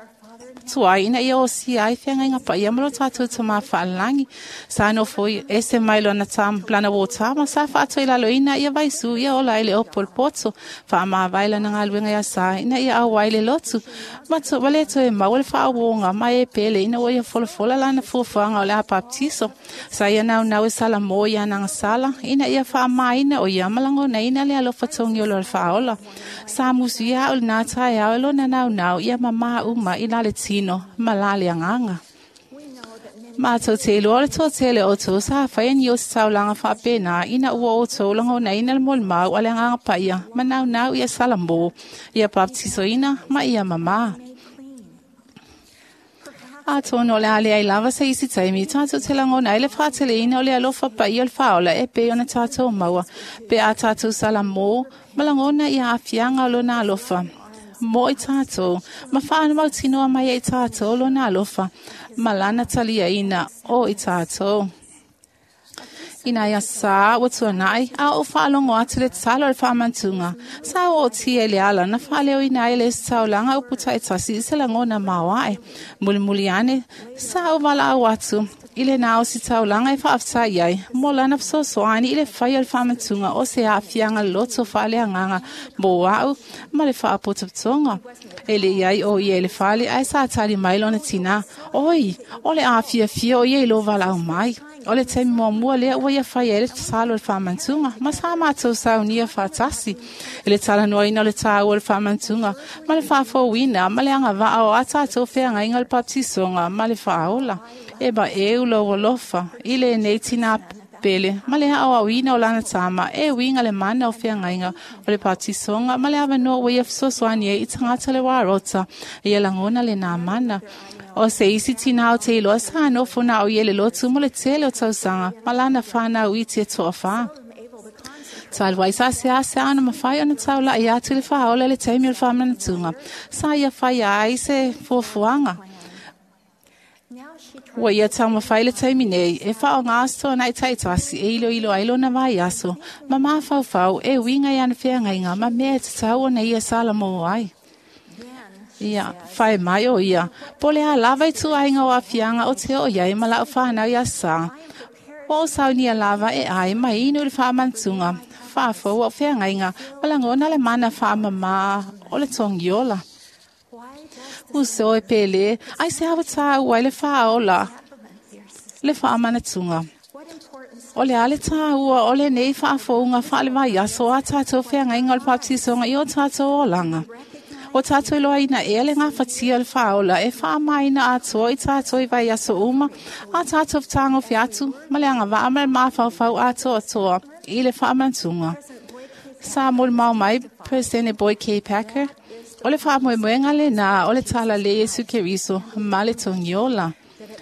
tuai, ina ia o si ai whiangainga pa ia ma lo tātou tama whaalangi. Sa no foi ese mai lona tam, lana wō tama, sa whaato i lalo ina ia vaisu, ia ola ele o polpoto, whaama vai lana ngā luenga ia sa, ina ia au ai le lotu. Mato wale toe mau le whaawonga, mai e pele, ina o ia folafola lana fuafuanga o le a baptiso. Sa ia nau nau e sala mō ia nanga sala, ina ia whaama ina o ia malango na ina le alofa tongi o lo le whaola. Sa musu ia o le nā tae au e lona nau nau, ia mama uma i lale tino, malale anganga. Mātou te iloa le tō tele o tō sa whai ni o te taulanga whaapena ina ua o tō lango na ina le mole mau a le anganga paia ma nau nau ia sala mō, ia baptiso ina ma ia mama. A tōno le ale ai lava se isi taimi, tātou te langona ai le whaatele ina o le alofa paia o le whaola e pe ona tātou maua, pe a tātou sala mō, ma langona ia afianga o lona alofa. Mō i tātou, ma whaana mau tinoa mai e tātou lona alofa, ma lana talia ina o i tātou. Ina ia sa ua tuanai, a o whaalongo atu le talo le whaamantunga. Sa o tia le ala, na whaaleo ina ele se taulanga o puta e tasi i se langona mawae. Muli muli ane, sa o wala au atu, I le nā o si taulanga e whaaftai ai, mō lana fesoasoani i le whai o le whaamantunga o se aafiaga loto faaleagaga mo a'u ma le faapotopotoga. E le i ai o ia i le fale ae sa tali mai lona tinā, oi, o le afiafia o ia i lō valaau mai. O le taimi muamua lea ua ia fai ai le tatalo o le faamantuga ma sa matou saunia faatasi. I le talanoaina o le tāua o le faamantuga ma le faafouina ma le agavaa o a tatou feagaiga o le papatisoga ma le faaola. E maeu lou alofa i lenei tinā pele ma le aoaoina o lana tama e uiga le mana o feagaiga o le papatisoga ma le avanoa ua ia fesoasoani ai i tagata le uarota ia lagona lenā mana. O se isi tinā o te iloa sa nofo na o ia le lotu mo le tele o tausaga ma lana whanau iti e toafā. Talu ai sa se ase ana mawhai ona taula'i atu i le faaola i le taimi o le faamanatuga. Sa ia whai ai se fuafuaga. Now she Ua ia taumafai le taimi nei e faaaogā aso ta'i taitasi e iloilo ai lona vaiaso ma mafaufau e uiga i ana feagaiga ma mea e tatau ona ia salamo ai. then Ia, whai mai o ia, po le a lava i tuaiga o aafiaga o te oo i ai ma la'u fanau ia sa. Ua o saunia lava e ai ma inu i le faamanatuga, faafou o feagaiga ma lagona le mana faamamā o le togiola. why does Uso e pele, ai se awa tāua i le faaola, le faamanatuga. what importance O le a le tāua o lenei faafouga faale-vaiaso a tātou feagaiga o le papatisoga i o tātou olaga. O tātou iloaina ea le gafatia o le faaola e faamaina atoa i tātou i vaiaso uma, a tātou fetagofi atu ma le agavaa ma le mafaufau atoatoa i le faamanatuga. Sa molimau mai President Boyd K. Packer, o le faamoemoega lenā o le tala le Iesu Keriso ma le togiola.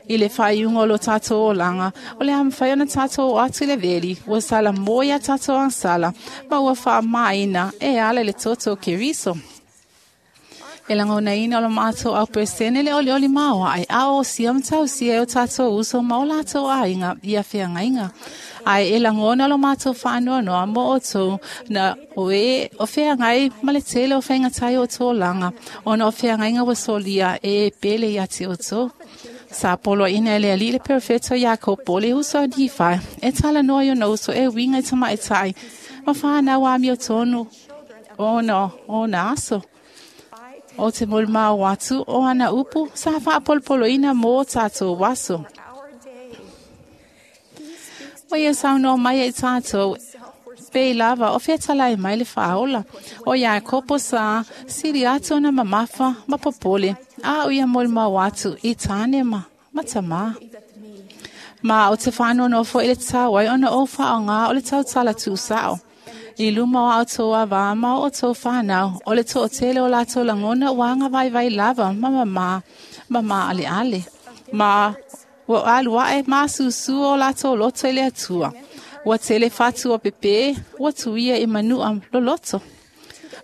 I le faaiuga o lo tātou olaga, o le a mafai ona tātou o atu i le veli, ua sala mo ia tātou agasala, ma ua faamaina e ala i le toto o Keriso. E lagonaina o lo matou au peresene le olioli maoaʻe a o sia ma tausia e o tātou uso ma o latou aiga ia feagaiga. Ae e lagona o lo matou faanoanoa mo outou na o e o feagai ma le tele o faigatai o outou olaga, ona o feagaiga ua solia e e pele ia te outou. Sa poloaina e le Alii le perofeta Iakopo le uso a Nifai, e talanoa i ona uso e uiga i tamaitai, ma whanau amiotonu ona ona aso. O te molimau atu o ana upu sa faapolopoloina mo tātou aso. our day O ia saunoa mai ai tātou pe lava o fetalai mai le faaola. O Iakopo sa sili atu ona mamafa ma popole, a o ia molimau atu i tāne ma, ma tamā. Ma o te whanono i le tāwai ona o whaonga o le tautala tūsao. I luma o outou avā ma o outou whanau, o le to'atele o latou lagona ua agavaivai lava ma mamā, ma maaleale. Ma ua alu aʻe masusu o latou loto i le Atua. Ua tele fatu o pepe, ua tuia i manua loloto.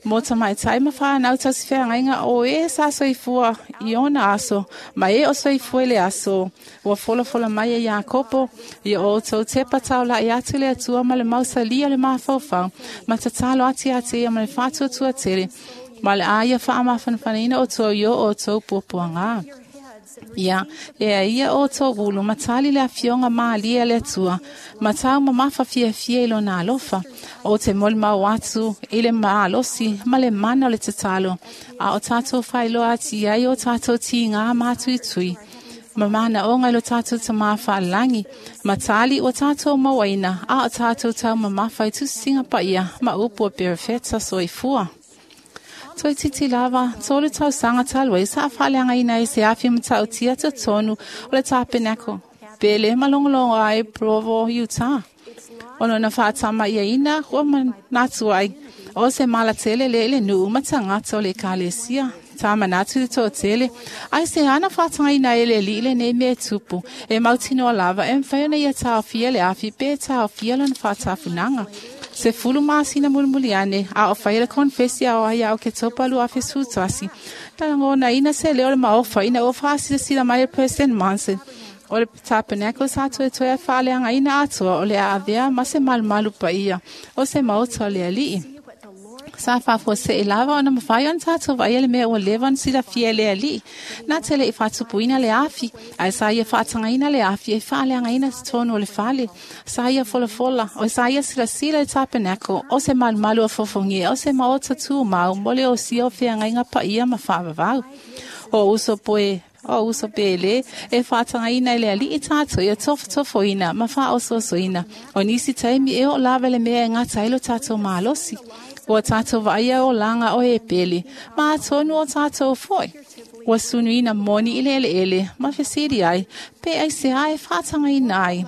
Mo tamaitai ma whanau tausifeagaiga o e sa soifua i ona aso, ma e o soifua i le aso. Ua folafola mai e Iakopo, ia outou tepa taula'i atu i le Atua ma le mausalia o le mafaufau, ma tatalo atu ia te ia ma le faatuatua tele, ma le a ia faamafanafanaina outou i o outou puapuagā. your heads and Ia, e a ia outou ulu, ma tali le afioga malie a le Atua, ma tau mamafa fiafia i lona alofa. O te molimau atu i le malosi ma le mana o le tatalo, a o tātou faailoa atu i ai o tātou tigā matuitui. Ma manaoga i lo tātou tamā faalagi, ma tali ua tātou mauaina, a o tātou tau mamafa i tusisiga paia, ma upu o perofeta soifua. Toe titi lava, tolu tausaga talu ai sa faaleagaina ai se afi matautia totonu o le tapenako. Pele ma logologo ai Provo, Utah. O lona faatamaiaina ua manatu ai o se malatele le i le nuu ma tagata o le ekalesia. Tā manatu le toatele, ai se ana faatagaina e le alii lenei mea e tupu, e mautinoa lava e mafai ona ia taofia le afi pe taofia lona faatafunaga. Se fulu masina mulimuli ane, a o faia le konfesi a o ai ia Oketopa lua afe sefulutasi. Na lagonaina se leo o le maofa ina ua faasilasila mai e President Monson. O le tapenako sa toetoe a faaleagaina atoa o le a avea ma se malumalu paia o se maota o le Alii. see what the Lord Sa faafuaseʻi lava ona mafai ona tatou vaaia le mea ua leva ona silafia e le aliʻi. Na te leʻi faatupuina le afi, ae sa ia faatagaina le afi e faaleagaina totonu o le fale. Sa ia folafola, o sa ia silasila i le tapenako, o se malumalu o fofogia, o se maota tumau mo le osia o feagaiga paia ma faavavau. O uso poe o uso pele e faatagaina i le aliʻi tatou ia tofotofoina ma faaososoina. O nisi taimi e oo lava le mea e gata ai lo tatou malosi. Ua tatou vaaia olaga o e pele, ma atonu o tatou foʻi. Ua sunuina moni i le eleele ma fesili ai, pe aisea e faatagaina ai.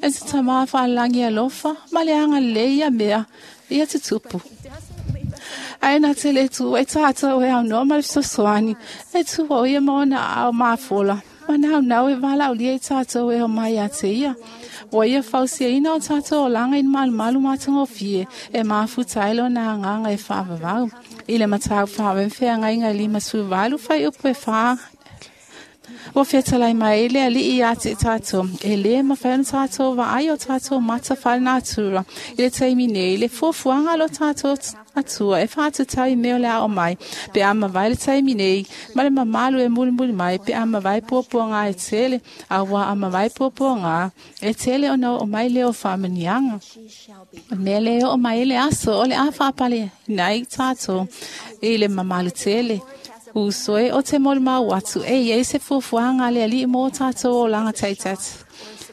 E se tamā faalagi alofa ma le agalelei ia mea ia tutupu. Ae na te le tu e tatou e aunoa ma le fesoasoani, e tua o ia ma ona aao mafola, ma naunau e valaaulia i tatou e omai ia te ia. Ua ia fausiaina o tatou olaga i malumalu matagofie, e mafuta ai lona agaga e faavavau. I le mataupu faavefeagaiga e lima sefuluvalu fuaiupu e fa ua fetalai mai ai le aliʻi ia te tatou, e lē mafai ona tatou vaai o tatou mata faalenatura i le taimi nei le fuafuaga a lo tatou atua e faatatau i mea o le a oo mai, pe a mavae le taimi nei ma le mamalu e mulimuli mai, pe a mavae puapuaga e tele, auā a mavae puapuaga e tele ona oo mai lea o faamaniaga. O le mea lea e oo mai ai le aso o le a faapaleina ai tatou i le mamalu tele. Uso e o te molimau atu e iai se fuafuaga a le aliʻi mo tatou olaga taitasi.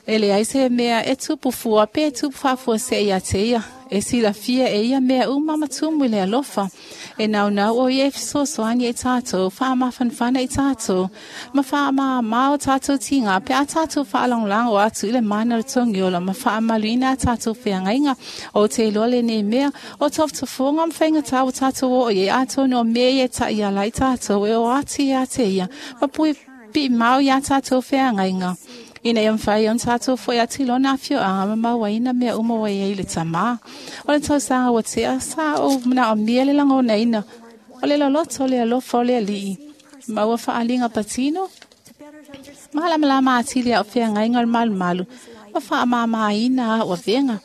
E leai se mea e tupu fua pe e tupu faafuaseʻi ia te ia. E silafia e ia mea uma ma tumu i le alofa. E naunau o ia e fesoasoani i tatou, faamafanafana i tatou, ma faamāmā o tatou tiga pe a tatou faalagolago atu i le mana o le togiola ma faamaluina a tatou feagaiga. O te iloa lenei mea, o tofotofoga ma faigatā ua tatou oo i ai, atonu o mea ia e taʻiala ai tatou e o atu ia te ia, ma puipii mau iā tatou feagaiga. Ina ia mafai ona tatou foʻi atu i lona afioaga ma mauaina mea uma ua iai le tamā. O le tausaga ua tea sa ou manaomia le lagonaina o le loloto o le alofa o le aliʻi, ma ua faaliga patino malamalama atili aʻo feagaiga o le malumalu ma faamāmāina aʻu avega.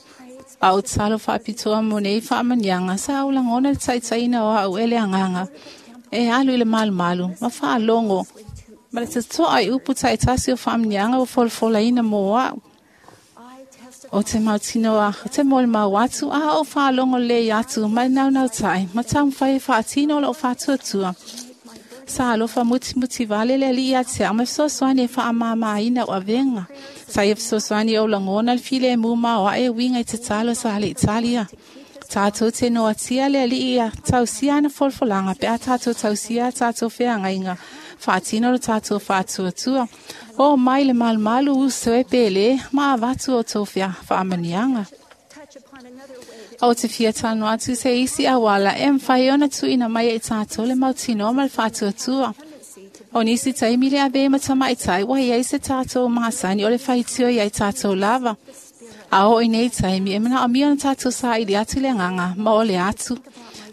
A o tatalo faapitoa mo nei faamaniaga sa ou lagona le taʻitaʻina o aʻu e le agaga e alu i le malumalu ma faalogo ma le totoa i upu taʻitasi o faamaniaga ua folafolaina mo aʻu. O te mautinoa, o te molimau atu, a o faalogo lelei atu ma le naunautai, ma taumafai e faatino o loo faatuatua. Sa alofa mutimuti vale le aliʻi ia te au ma fesoasoani e faamāmāina o avega. Sa ia fesoasoani ou lagona le filemu ma o aʻe uiga i tatalo sa le Italia. Tatou te noatia le aliʻi ia tausia ana folafolaga pe a tatou tausia a tatou feagaiga. Faatino lo tatou faatuatua. O mai le malumalu uso e pele, ma avatu o tou fea faamaniaga. O te fia talanoa atu se isi auala e mafai ona tuuina mai ai tatou le mautinoa ma le faatuatua. O nisi taimi le ave ma tamaʻitai ua iai se tatou masani o le faitio iai tatou lava. A oo i nei taimi e manaomia ona tatou saʻili atu le agaga ma o le atu.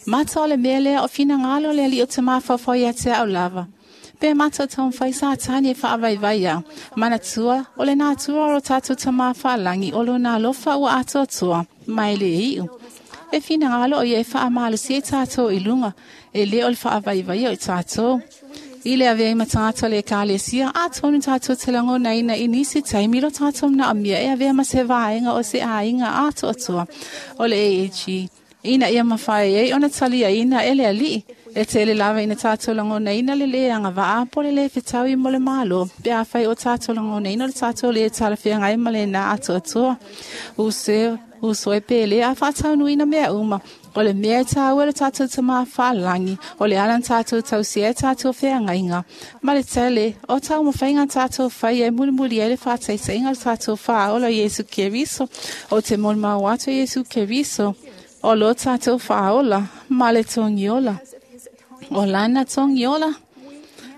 Mata o le mea lea o finagalo o le aliʻi o te mafaufau ia te aʻu lava. Pe mata o taumafai Satani e faavaivai au. Manatua, o le natura o lo tatou tamā faalagi o lona alofa ua atoatoa, ma e lē iʻu. E finagalo o ia e faamalosia i tatou i luga, e lē o le faavaivaia o i tatou. I le avea ai ma tagata o le ekalesia, atonu tatou te lagonaina i nisi taimi lo tatou manaomia e avea ma se vaega o se aiga atoatoa o le A A G. Ina ia mafai ai ona taliaina e le aliʻi. E tele lava ina tatou lagonaina le lē agavaa po le lē fetaui mo le malo, pe afai o tatou lagonaina o le tatou lē talafeagai ma lenā atoatoa. Uso uso e pele a faataunuina mea uma. O le mea e tāua le tatou tamā faalagi, o le ala na tatou tausia e tatou feagaiga. Ma le tele, o taumafaiga tatou faia e mulimuli ai le faataitaiga o le tatou faaola o Iesu Keriso, o te molimau atu o Iesu Keriso, o lo tatou faaola ma le togiola. O lana togiola,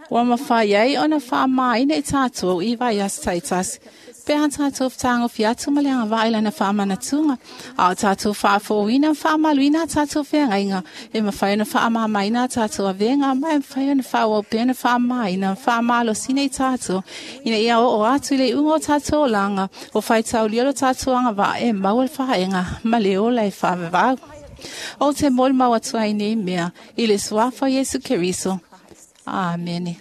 ua mafai ai ona faamāina i tatou i vaiaso taitasi. Pe a tatou fetagofi atu ma le agavaa i lana faamanatuga, a o tatou faafouina ma faamaluina a tatou feagaiga, e mafai ona faamāmāina a tatou avega, ma e mafai ona faaauau pea ona faamāina ma faamalosina i tatou, ina ia oo atu i le iuga o tatou olaga, o faitaulia lo tatou agavaa e maua le faaega ma le ola e faavavau. O te moli mau atu ai nei mea, i le suafa Iesu Keriso. Amene.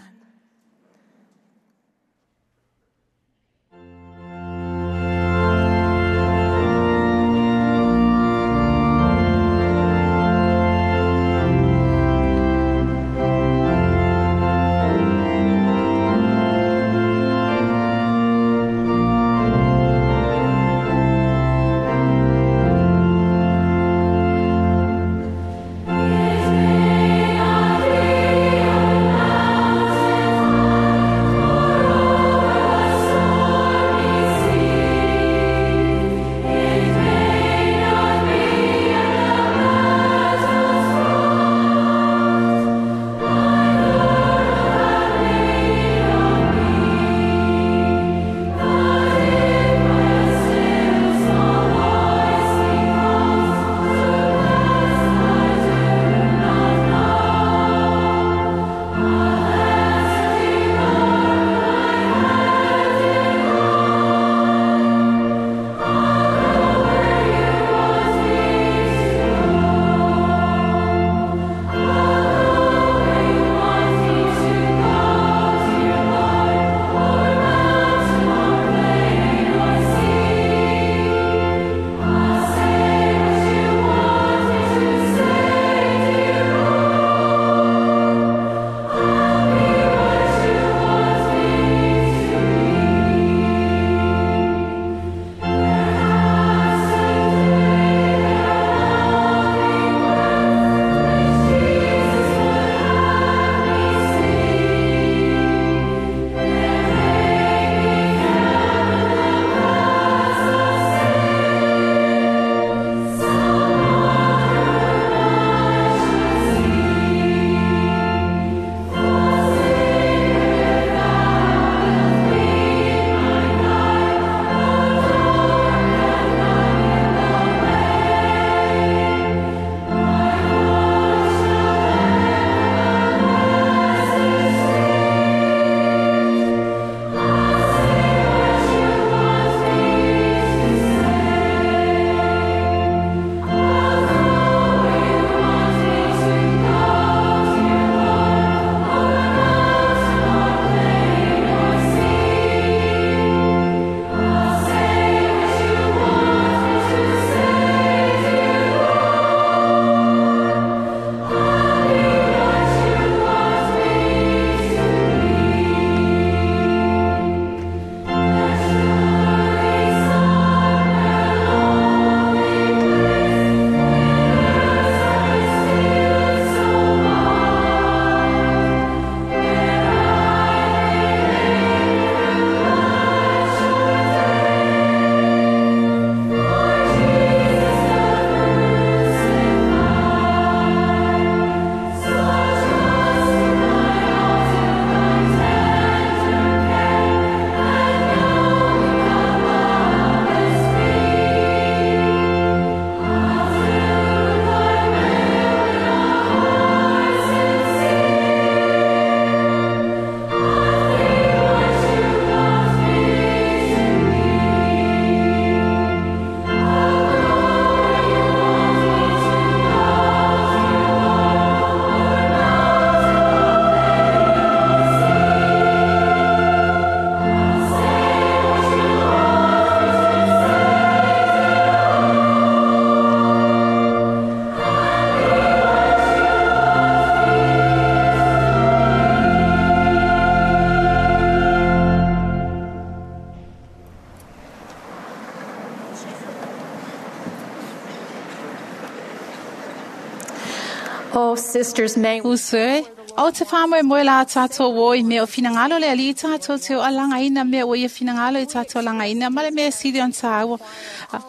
Oh, sisters, may Usue, o te whamwe moe la tātou o i mea o whinangalo le ali i tātou te o alanga ina mea o ia whinangalo i tātou alanga ina ma le mea siri on tāua.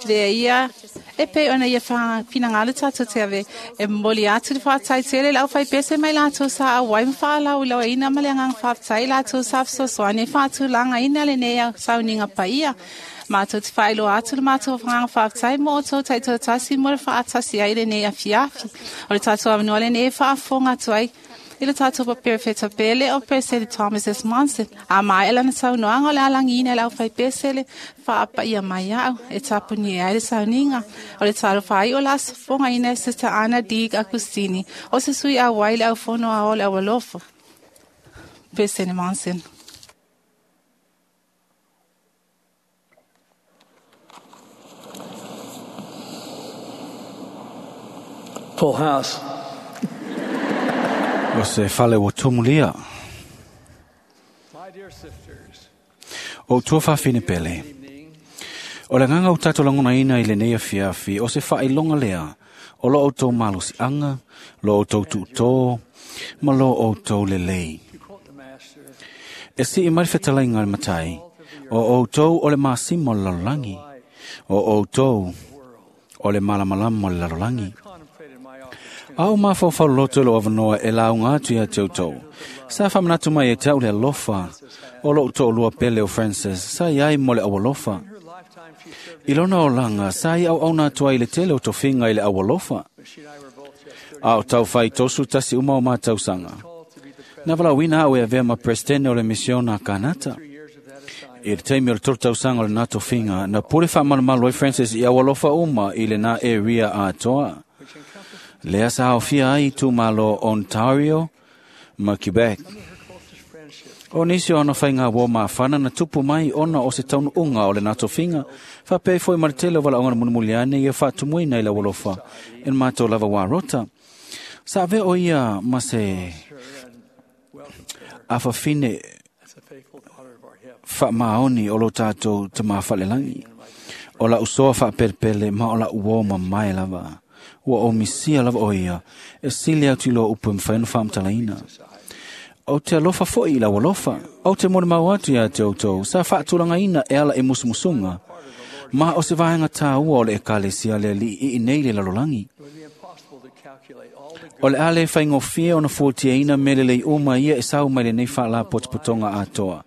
Le ia, e pe ona ia whinangalo tātou te ave e moli atu le whātai tele lau whai pese mai lātou sa a wai mwhaalau lau ina ma le angang whātai lātou sa whasosoane whātu langa ina le nea sauninga paia. Mātou te whailo atu le mātou whanganga whātai mō tō taito tasi mō le whaatasi ai le nei awhiawhi. O le tātou awanua le nei whaafonga atu ai. I le tatou paperefeta pele o President Thomas S. Monson. A mai lana saunoaga o le alagiina e le aufaipesele faapaia mai au e tapunia ai le sauniga. O le talofa o le aso fogaina e Sister Anna D. Agustini o se sui auai le aufono ao o le aualofa. President Monson. Full house. O se fale o tumulia. My dear sisters, O tua whawhine pele. O le nganga o tātou langona ina i le nei afiafi, o se whailonga lea, o lo o tō malosi anga, lo o tō tūtō, ma lo o tō lelei. to quote the master, E si i mai whetalai ngā matai, o o tō o le masimo o le lalolagi, o o tō o le malamalama o le lalolagi. contemplated my opportunity Au mawhawhau loto lo awanoa e lau ngā atu ia te autou. Sa whamanatu mai e te au le alofa, o lo tō lua pele o Francis, sa iai mo le au alofa. her lifetime she served I lona o langa, sa i au au nā tua i le tele o tofinga i le au alofa. she and I were both just thirty A o tau whai tosu tasi uma o mātausanga. called to be the Nā wala wina au e avea ma presidente o le misiona Kanata. three years of that assignment. I le taimi o le tolu tausaga o le nā tofinga, na pule whaamalamalu ai Francis i au alofa uma i le nā area atoa. which encompassed Lea sa haofia ai tūmalo Ontario ma Quebec. some of her closest friendships. O nisi o ana whainga wō maafana na tupu mai ona o se taunu unga o le nā tofinga, whapea foi ma le tele o wala onga na munumuliane ia whaatumuina i la walofa, en mātou lava wā rota. Sa ave o ia ma se Her and welcomed her awhawhine as a faithful daughter of our heaven. whaamaoni o lo tātou te maawhalelangi. O la usoa whaapelpele ma o la uo mamae lava. Ua o misia lava o ia, e sili atu i loa upu e mwhainu whaamtalaina. O te alofa foi i la walofa, o te mone mau atu ia te outou, sa whaatulanga e ala e musumusunga. Ma o se vaenga tā ua o le ekalesia le li i nei le lalolangi. It would be impossible to calculate all the O le ale whaingofia o na fuatiaina mele lei uma ia e sau mai le nei whaala potopotonga atoa.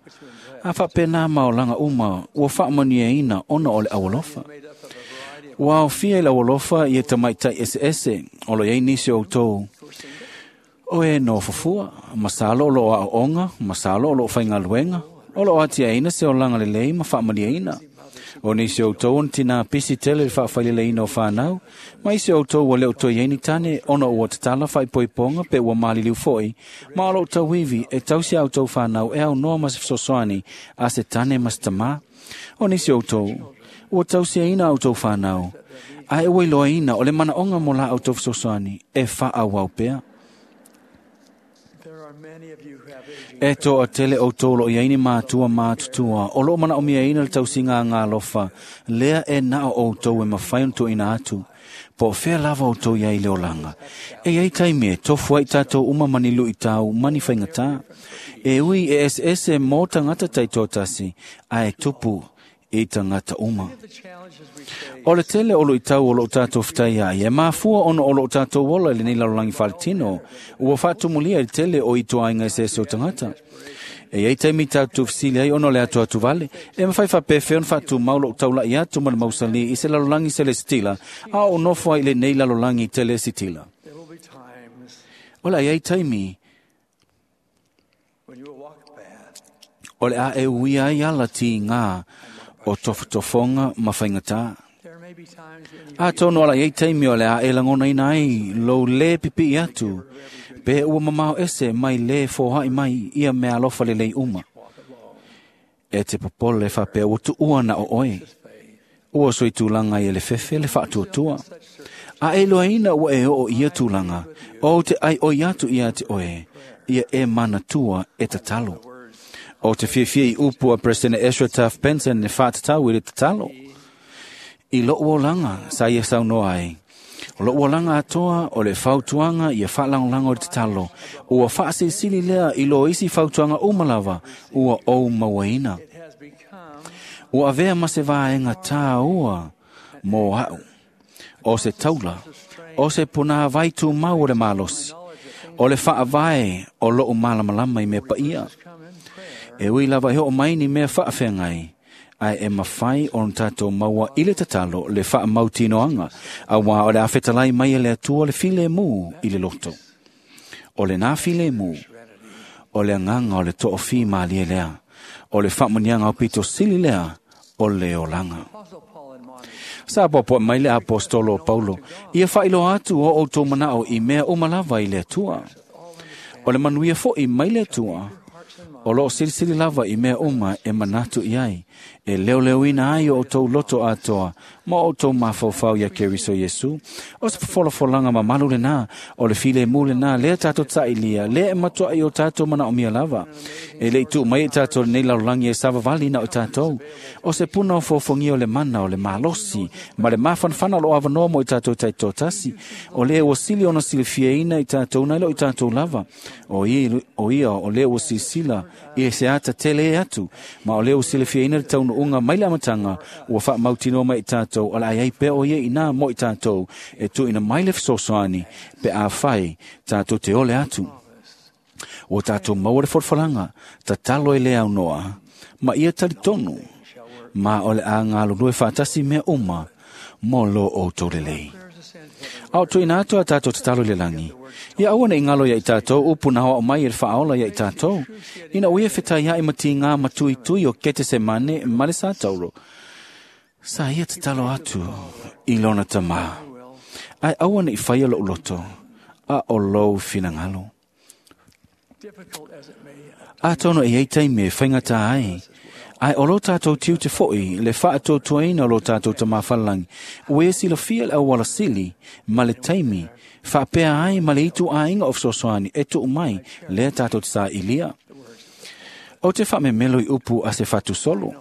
A whapena ma o langa uma, ua whaamaniaina ona o le awalofa. made up of a variety of Ua aufia i la awalofa i e tamaitai ese ese, o lo iei nisi o tau. O e no fufua, masalo o lo a onga, masalo o lo whaingaluenga, o lo atia ina se o langa lelei ma whaamaniaina. O nisi o tau on tina pisi tele le whaawhaileleina o whanau, ma isi o tau o leo toi eini tane, ona ua tatala whaipoiponga pe ua maliliu foi, ma o lo tau iwi e tausi au tau whanau e au noa ma se fesoasoani a se tane ma se tamā. O nisi o tau, ua tausi aina au tau whanau, a e ua iloa ina o le manaonga mo la au tau fesoasoani e wha au pea. There are many of you who have aging E toa tele o tōlo i aini mātua mātutua, o lo mana o mia ina le tausinga ngā lofa, lea e nao o tau e mawhai on tō ina atu. Po whea lava o tau iai le olanga. E iai taimi e tofu ai tātou uma mani lui tau, mani whaingatā. E ui e ese ese mō tangata tai tōtasi, a e tupu i tangata uma. the challenges we face. O le tele o lo i tau o lo tātou whitai ai, e mafua ono o lo tātou ola i le nei lalolangi whaletino, ua whaatumulia i le tele o i toa inga se ese o tangata. E ei taimi tātou fisili ai ono le atu atu vale, e mawhai whapewhe on whaatu mau lo taula i atu ma le mausali i se lalolangi se le sitila, a o nofo ai le nei lalolangi tele sitila. There will be times O le ai taimi, when you will walk a path o le a e uia ai ala ti ngā o tofotofonga ma whaingatā. There may be times when you A tono ala iei taimi o le a e langona ina ai, lo le pipi i atu, pe ua mamao ese mai le fōhai mai ia mea alofa le lei uma. E te popole whapea ua tuua na o oe. Ua soi tūlanga i le fefe le whaatuatua. A e loa ina ua e o ia tūlanga, o te ai o atu ia te oe, ia e manatua e tatalo. O te fiafia i upu a President Ezra Taft Benson e whaatatau i le tatalo. I lo uolanga sa ia saunoa ai. O lo uolanga atoa o le fautuanga ia whaalangolanga o le tatalo. Ua whaasisili lea i lo isi fautuanga umalava ua o mauaina. it has become Ua avea ma se vaenga tā ua mō au. O se taula, o se puna vaitu mau o le malosi. O le whaavae o loo malamalama i mea paia. come in prayer E ui lava e ho mai ni mea whaawhengai. Ai e mawhai o tātou maua i le tatalo le whaamautinoanga. A wā o le awhetalai mai e le atua le file mū i le loto. O le nā filemu, o le agaga o le toʻofī malie lea, o le faamanuiaga aupito sili lea, o le olaga. Sa poapoaʻi mai le apostolo o Paulo, ia faailoa atu o outou manaʻo i mea uma lava i le Atua. O le manuia foʻi mai le Atua, o loo silisili lava i mea uma e manatu i ai, e leoleoina ai o outou loto atoa, ma o outou mafaufau ia Keriso Iesu. O se folafolaga mamalu lenā, o le filemu lenā, lea tatou taʻilia, lea e matuaʻi o tatou manaʻomia lava. E leʻi tuu mai i tatou lenei lalolagi e savavali na o tatou. O se puna o fofogia o le mana o le malosi, ma le mafanafana o loo avanoa mo i tatou taitoatasi. O lea ua sili ona silifiaina i tatou nai lo i tatou lava. O ia, o ia o lea ua silasila i se ata tele e atu, ma o lea ua silifiaina le taunuuga mai le amataga, ua faamautinoa mai i tatou, o le a iai pea o ia inā mo i tatou, e tuuina mai le fesoasoani, pe afai tatou te ole atu. Ua tatou maua le folafolaga, tatalo e le aunoa, ma ia talitonu, ma o le a galulue faatasi mea uma mo lo outou lelei. A o tuuina atu a tatou tatalo i le lagi, ia aua ne i galo ia i tatou upu na hoao mai e le faaola ia i tatou, ina ua ia fetaiaʻi ma tigā ma tuitui o Ketesemane ma le Sataulo. Sa ia tatalo atu i lona tamā, ae aua ne i faia loʻu loto, a o lou finagalo. Atonu e iai taimi e faigata ai, ae o lo tatou tiute foʻi le faatuatuaina o lo tatou tamā falelagi, ua ia silafia le auala sili ma le taimi faapea ai ma le itu aiga o fesoasoani e tuu mai lea tatou te saʻilia. O te faamemelo i upu a se fatusolo.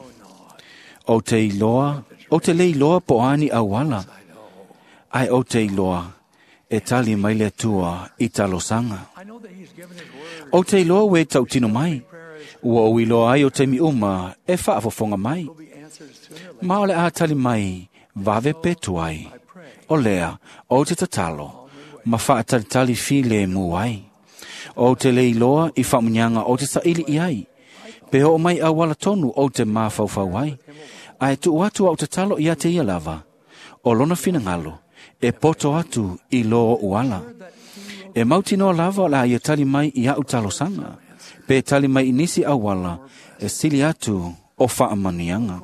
O te iloa, o te le iloa po o ani auala, ae o te iloa e tali mai le Atua i talosaga. O te iloa ua e tautino mai, ua ou iloa ai o taimi uma e faafofoga mai. Ma o le a tali mai vave petu ai. O lea, o te tatalo, ma faatalitali filemu ai. O te le iloa i faamuniaga o te saili i ai. Pe oo mai auala tonu o te mafaufau ai. Ae tuu atu au tatalo ia te ia lava. O lona finagalo, e poto atu i lo o ala. E mautinoa lava o le a ia tali mai i au talosaga, pe tali mai i nisi auala e sili atu o faamaniaga.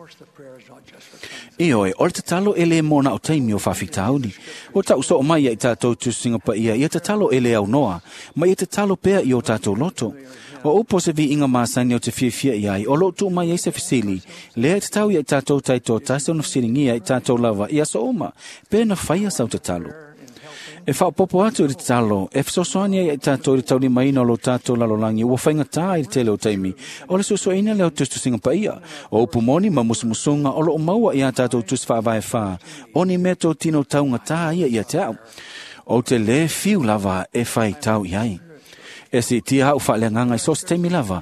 Ioe, o le tatalo e lē mo na o taimi o faafitauli. O tau soo mai ia i tatou tusiga paia, ia tatalo e le aunoa, ma ia tatalo pea i o tatou loto. O upu o se viiga masani o te fiafia i ai, o loo tuu mai ai se fesili, lea e tatau ia i tatou taitoatasi ona fesiligia i tatou lava i aso uma, pe na faia sau tatalo. E faapopo atu i le tatalo, e fesoasoani ai ia i tatou i le taulimaina o lo tatou lalolagi ua faigata i le tele o taimi, o le suesueina lea o tusitusiga paia, o upu moni ma musumusuga o loo maua ia tatou tusi faavae fā, o ni mea totino taugatā ia ia te au. O te lē fiu lava e faitau i ai. E siitia au faaleagaga i so o se taimi lava,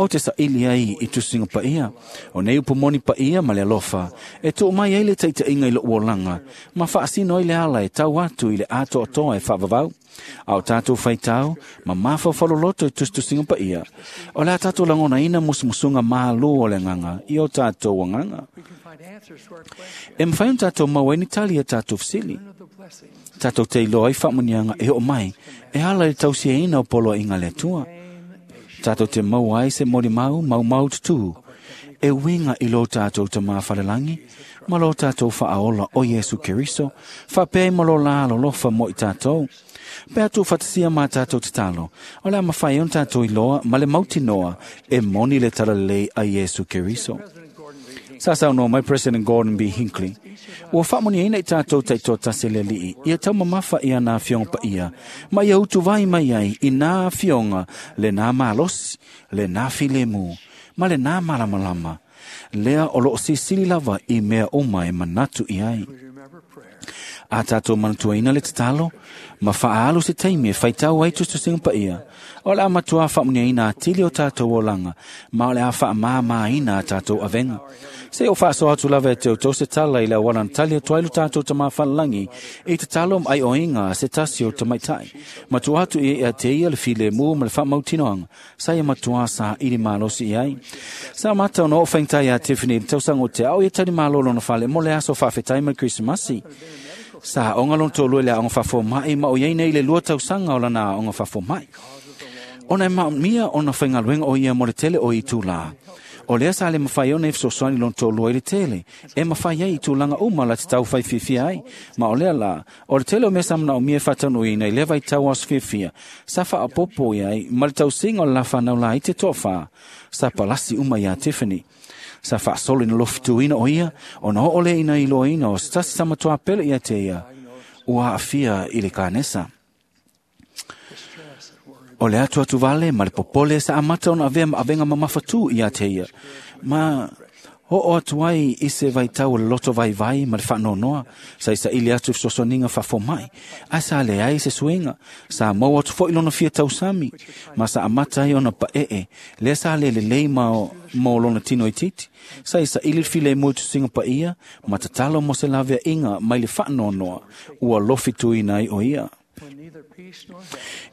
o te saili ai i tusiga paia. O nei upu moni paia ma le alofa, e tuu mai ai le taitaiga i lou olaga, ma faasino ai le ala e tau atu i le atoatoa e faavavau. A o tatou faitau, ma mafaufaloloto i tusitusiga paia, o le a tatou lagonaina musumusuga mālū o le agaga i o tatou agaga. E mafai ona tatou maua ai ni tali ia tatou fesili. Tatou te iloa ai faamuniaga e oo mai, e ala i le tausiaina o poloaiga a le Atua. Tatou te maua ai se molimau maumau tutū, e uiga i lo tatou tamā falelagi, ma lo tatou faaola o Iesu Keriso, faapea ai ma lo la alolofa mo i tatou. Pe a tuufaatasia ma tatou tatalo, o le a mafai ai ona tatou iloa ma le mautinoa e moni le talalelei a Iesu Keriso. Sa saunoa mai President Gordon B. Hinckley, ua faamuniaina i tatou taitoatasi le alii, ia taumamafa i ana afioga paia, ma ia utuvai mai ai i nā afioga lenā malosi, lenā filemu, ma lenā malamalama, lea o loo silisili lava i mea uma e manatu i ai. A tatou manatuaina le tatalo, ma faaalu se taimi e faitau ai tusitusiga paia, o le a matuā faamuniaina atili o tatou olaga, ma o le a faamāmāina a tatou avega. Se o faasoa atu lava e te outou se tala i le auala na tali atu ai lo tatou tamā falelagi i tatalo ma aioiga a se tasi o tamaitai. Matua atu i e te ia le filemu ma le faamautinoaga, sa ia matuā saili malosi i ai. Sa mata ona oo faigata ia Tiffany i le tausaga o te ao ia tali malo lona fale mo le aso faafetai ma le Krisimasi. Sa aoga lona toalua i le aoga faafomaʻi ma o iai nei le lua tausaga o lana aoga faafomaʻi. Ona e maomia ona faigaluega o ia mo le tele o itulā. O lea sa le mafai ona e fesoasoani lona toalua i le tele, e mafai ai i tulaga uma la te tau fai fiafia ai. Ma o lea la, o le tele o mea sa manaomia e faataunuuina i lea vaitau aso fiafia, sa faaopoopo i ai ma le tausiga o le lafanau laiti e toafā, sa palasi uma iā Tiffany. Sa faasolo ina lofituina o ia, ona oo lea ina iloaina o se tasi tama pele ia te ia, ua aafia i le kanesa. O le atu atu vale ma le popole sa amata ona avea ma avega mamafatū ia te ia. Ma oo atu ai i se vaitau o le loto vaivai ma le faanoanoa, sa isaili atu i fesoasoaniga faafomaʻi, ae sa leai se suiga, sa maua atu foʻi lona fia tausami, ma sa amata ai ona paee, lea sa le lelei ma mo lona tino itiiti. Sa isaili le filemu i tusiga paia, ma tatalo mo se laveaiga mai le faanoanoa, ua lofituina ai o ia.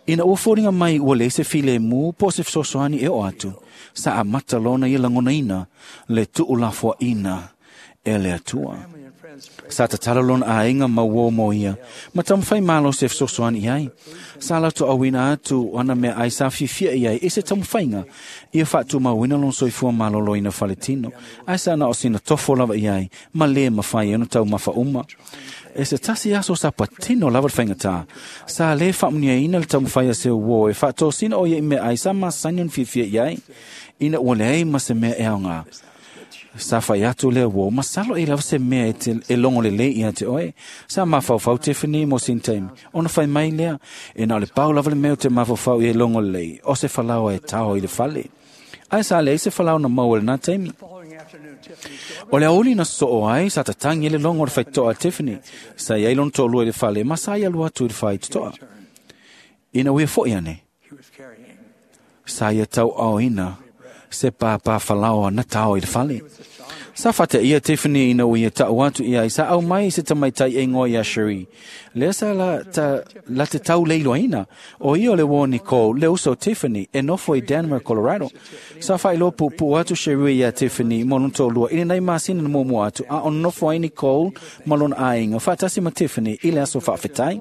Ina ua foliga mai ua leai se filemu po o se fesoasoani e oo atu, sa amata lona ia lagonaina le tuulafoaʻina e le Atua. Sa tatalo lona aiga ma uō mo ia, ma taumafai malosi e fesoasoani i ai. Sa latou auina atu ana meaai sa fiafia i ai i se taumafaiga ia faatumauina lona soifua malōlōina faletino, ae sa na o sina tofo lava i ai ma lē mafai ai ona taumafa uma. E se tasi aso sa patino lava le faigatā, sa lē faamuniaina le taumafai a se uō e faatosina o ia i meaai sa masani ona fiafia i ai, ina ua leai ma se mea e aogā. Sa fai atu lea uō, masalo e lava se mea e, te, e logo lelei ia te oe. Sa mafaufau Tiffany mo sina taimi, ona fai mai lea, e na o le pau lava le mea o te mafaufau i e logo lelei, o se falaoa e tao i le fale. Ae sa leai se falaoa na maua i lenā taimi. O le aouli na sosoo ai, sa tatagi ai le logo o le faitotoa a Tiffany. Sa iai lona toalua i le fale, ma sa ia alu atu i le faitotoa. Ina ua ia foʻi ane, sa ia tauaoina se pāpā falaoa na tao i le fale. Sa fataia Tiffany ina ua ia taʻu atu i ai, sa au mai se tamaitai e igoa iā Cherie. Lea sa la, ta, la te tau leiloaina, o ia o le uō Nicole, le uso o Tiffany, e nofo i Denver, Colorado. Sa faailoa puupuu atu Cherie iā Tiffany mo lona toalua i lenei masina na muamua atu, a o nofo ai Nicole ma lona aiga faatasi ma Tiffany i le aso faafetai.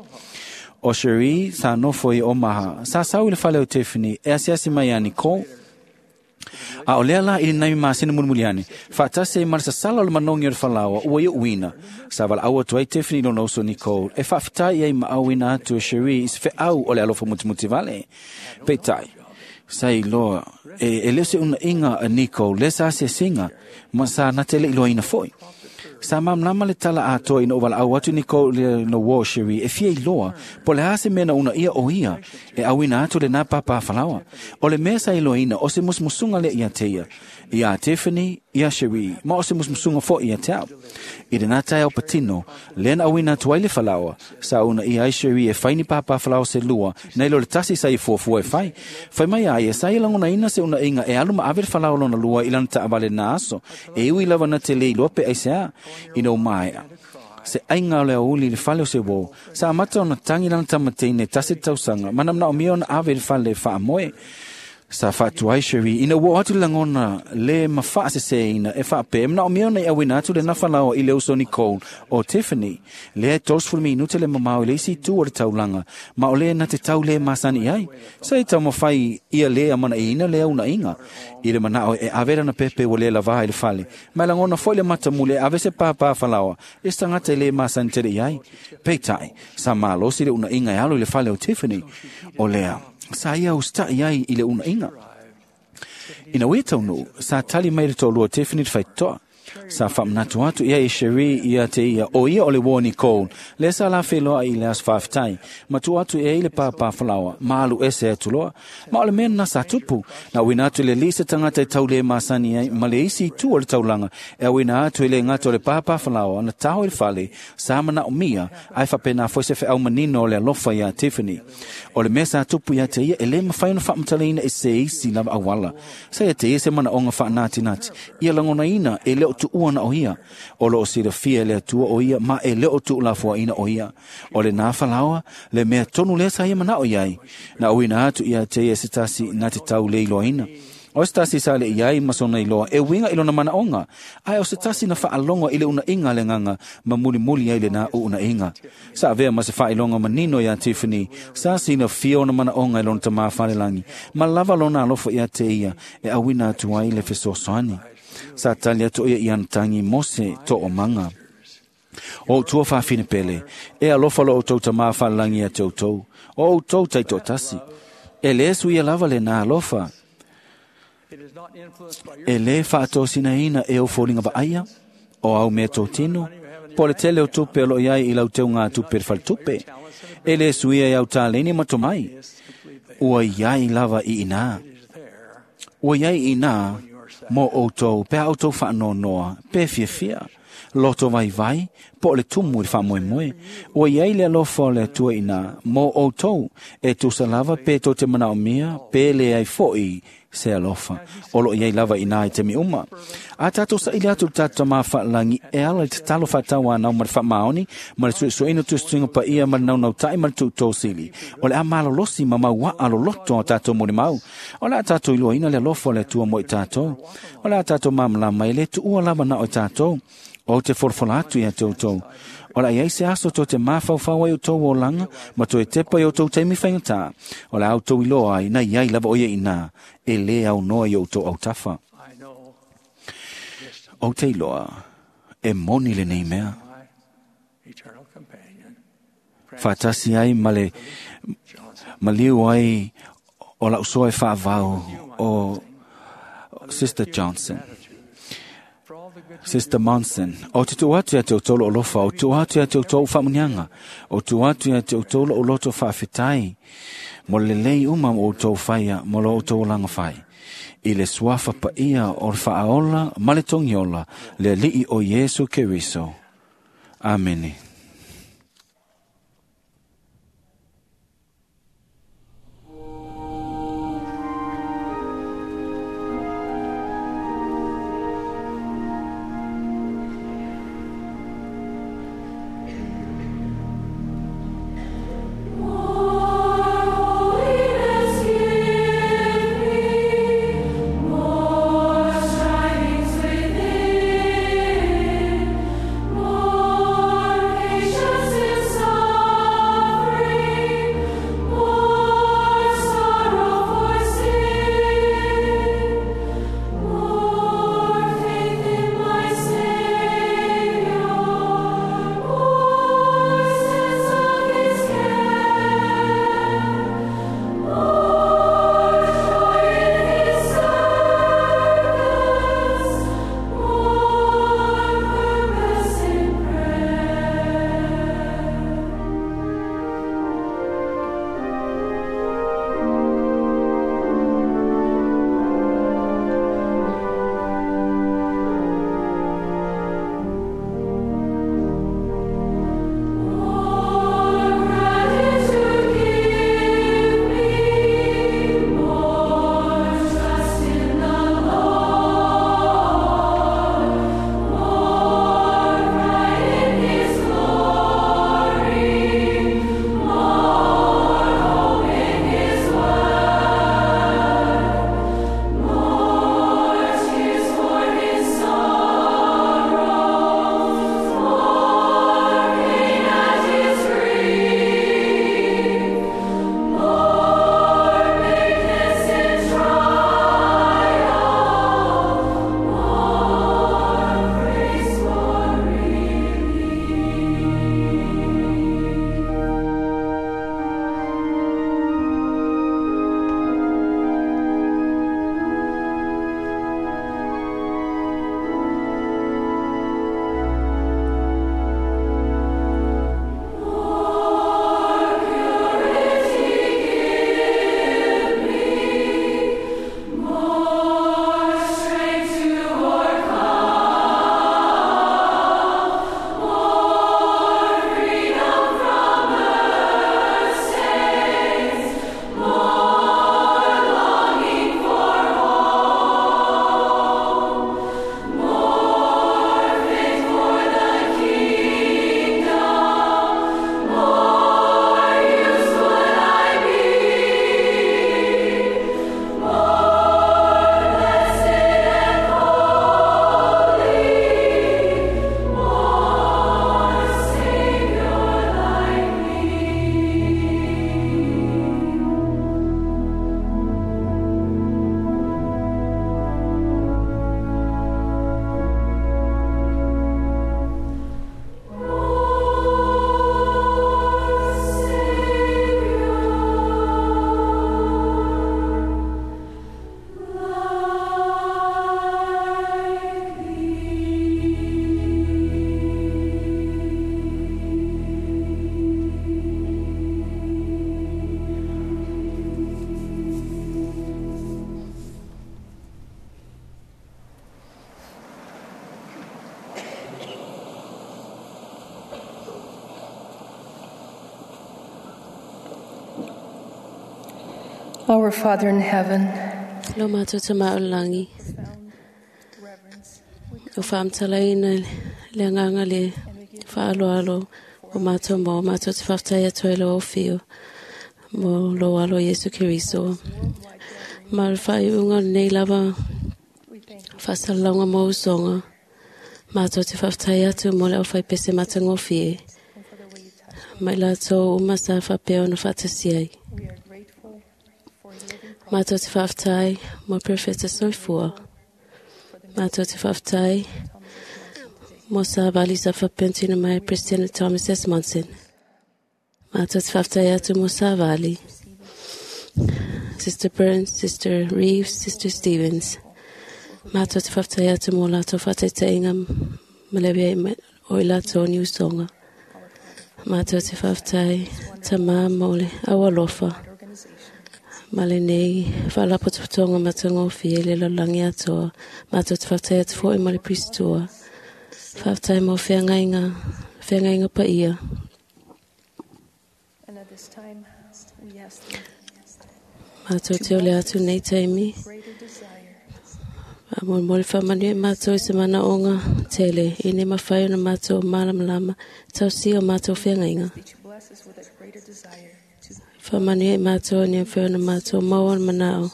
O Cherie sa nofo i Omaha, sa sau i le fale o Tiffany e asiasi mai iā Nicole. A o lea la i lenei masina mulimuli ane, faatasi ai ma le sasala o le manogi o le falaoa ua ia uina. Sa valaau atu ai Tiffany i lona uso Nicole e faafetai ai ma auina atu e Cherie i se feau o le alofa mutimuti vale. Peitai, sa iloa e, e le o se unaiga a Nicole lea sa asiasiga ma sa na te le iloaina foʻi. Sa malamalama le tala atoa ina ua valaau atu Nicole le no uō Cherie e fia iloa po o le a se mea na unaia o ia e auina atu lenā pāpā falaoa. O le mea sa iloaina o se musumusuga lea ia te ia, iā Tiffany, iā Cherie, ma o se musumusuga foʻi ia te au. I lenā taeao patino, lea na auina atu ai le falaoa, sa unaia ai Cherie e fai ni pāpā falaoa se lua, nai lo le tasi sa ia fuafua e fai. Fai mai a ia, sa ia lagonaina se unaiga e alu ma ave le falaoa lona lua i lana taavale na aso, e ui lava na te le iloa pe aiseā, ina ua maea. Se aiga o le aouli i le fale o se uō, sa amata ona tagi lana tamateine tasi le tausaga, ma na manaomia ona ave i le fale e faamoe. Sa faatuai Cherie ina ua oo atu le lagona le ma faaseseina e faapea e manaomia ona i auina atu lenā falaoa i le uso Nicole o Tiffany. Lea e tolusefulu minute le mamao i le isi itu o le taulaga, ma o lea na te tau lē masani i ai. Sa i taumafai ia lē amanaiaina lea unaiga i le manao e ave lana pepe ua lē lavā i le fale, ma e lagona foʻi le matamuli e ave se pāpā falaoa e se tagata e lē masani tele i ai. Peitai, sa malosi le unaiga e alu i le fale o Tiffany. O lea, sa ia usitaʻi ai i le unaiga. Ina ua ia taunuu, sa tali mai le toalua o Tiffany le faitotoa. Sa faamanatu atu ia e Cherie ia te ia, o ia o le uō Nicole, lea sa lafeloaʻi i le aso faafetai, ma tuu atu i ai le pāpā falaoa, ma alu ese atu loa. Ma o le mea lenā sa tupu, na auina atu e le alii se tagata e tau lē masani ai ma le isi itu o le taulaga, e auina atu e le gata o le pāpā falaoa na tao i le fale, sa manaomia, ae faapenā foi se feau manino o le alofa iā Tiffany. O le mea sa tupu ia te ia e lē mafai ona faamatalaina e se isi lava auala. Sa ia te ia se manaoga faanatinati, ia lagonaina e le o tuua na o ia. O loo silafia e le Atua o ia ma e le o tuulafoaina o ia. O lenā falaoa, le mea tonu lea sa ia manao i ai. Na auina atu ia te ia se tasi na te tau le iloaina. O se tasi sa le iai ma sona iloa e winga i lona manaonga. Ae o se tasi na whaalonga i le una inga le nganga ma muli muli ai le na o una inga. Sa avea ma se whailonga manino ia Tiffany. Sa sina fia ona manaonga i lona tamā whalelangi. Ma lava lona alofa ia te ia e awina atu ai le fesoasoani. Sa tali atu ia i ana tangi mose to o manga. O tua whawhine pele, e alofa lo o tau tamā whalelangi a te o tau. O o tau taito tasi. E le su ia lava le nā alofa. E le whaatosina ina e o fōlinga vaaia, o au mea tōtino, po le tele o tupe o lo iai i lau teu ngā tupe le whaltupe. E le suia i au tāleni matomai, ua iai lava i ina. Ua iai ina, mō outou, pea outou whaanonoa, pe fiafia, loto vai vai, po le tumu i le whaamoemoe. Ua iai le alofa o le Atua ina, mō outou, e tusa lava pe tō te manaomia, pe le ai foi se alofa. O lo iai lava ina i te mi uma. A tātou sa ili atu tātou tamā whaalangi e ala i te talo whaatau anau ma le whaamaoni, ma le suesueina tustuinga pa ia ma le naunau tai ma le tuutōsili. O le a malolosi ma maua aloloto a tātou moni mau. O le a tātou iloaina le alofa o le Atua mo i tātou. O le a tātou mamalama e le tuua lava na o i tātou. O te forfola atu ia te outou. O la iai se aso tō te māwhauwhau ai o tō o langa, ma tō e tepa i o tō teimi whaingata. O la au tō iloa ai, na iai lava oia ina, e le au noa i o tō au tafa. O te iloa, e moni le nei mea. Whātasi ai ma le maliu ai o lau soa e whaavau o Sister Johnson. Sister Monson, o te tuu atu ia te utolo o lofa, o tuu atu ia te utolo whaamunianga, o tuu atu ia te utolo o loto whaafetai, mo le lei uma mo outou whaia, mo lo outou langa whai. I le suafa pa ia o le whaaola, ma le tongiola, le alii o Yesu Keriso. Amene. More Our Father in heaven, Lo mātou te maolangi. O whaamtalaina le anganga le whaaloalo o mātou mō mātou te whaftai atoe lo o whio mō lo alo Yesu Keriso. Ma le whaiunga nei lava whasalaunga mō usonga. Mātou te whaftai atu mō le o whaipese matangofie. Mai lātou umasa whapeo na whatasiai. Mātou te whaftai mō perfecta soifua. Mātou te whaftai mō sa vali sa whapentina mai President Thomas S. Monson. Mātou te whaftai atu mō sa vali. Sister Burns, Sister Reeves, Sister Stevens. Mātou te whaftai atu mō lātou whataiteinga malewia o i lātou ni usonga. Mātou te whaftai tamā mō le awalofa. Male nei, whalapotopotonga matangofie le lalangi atoa. Mātou te whaftai atu fo i male pristoa. Whaftai mō wheangainga, wheangainga pa ia. And at this time, we ask thee Mātou te ole atu nei taimi. greater desire A mo mo le whamanu e mātou i se mana onga tele. I ne mawhai ona mātou malamalama. Tau si o mātou wheangainga. that you bless us with a greater desire to Whamanu e mātou ni whai ona mātou maua manao.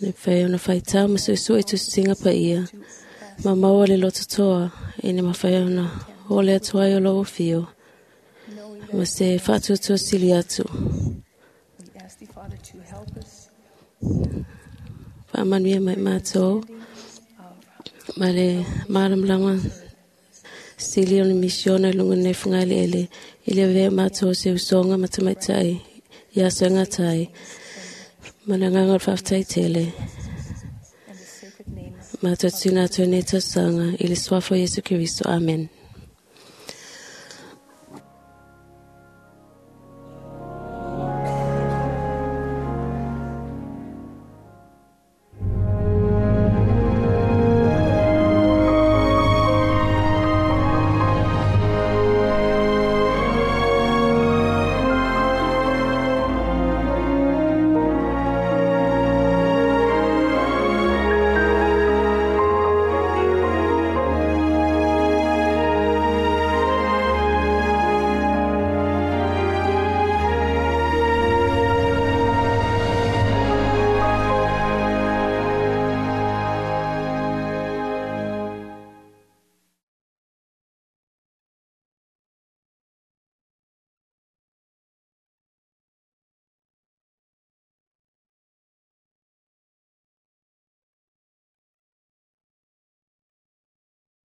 Ni whai ona whaitau masu isu i tusinga pa ia. Ma maua le loto toa. I ne mawhai ona ole atu ai o lo whio. Ma se whatutua sili atu. we ask thee, Father, to help us Whamanu e mai mātou. Ma le maramlama sili o le misiona lunga nei whangali ele. I le vea mātou se usonga matamaitai. Ia songa tai. Mananganga o whaftai tele. and the sacred name Mātou tūna tō nei tausanga i le suafo Yesu Keriso. Amen.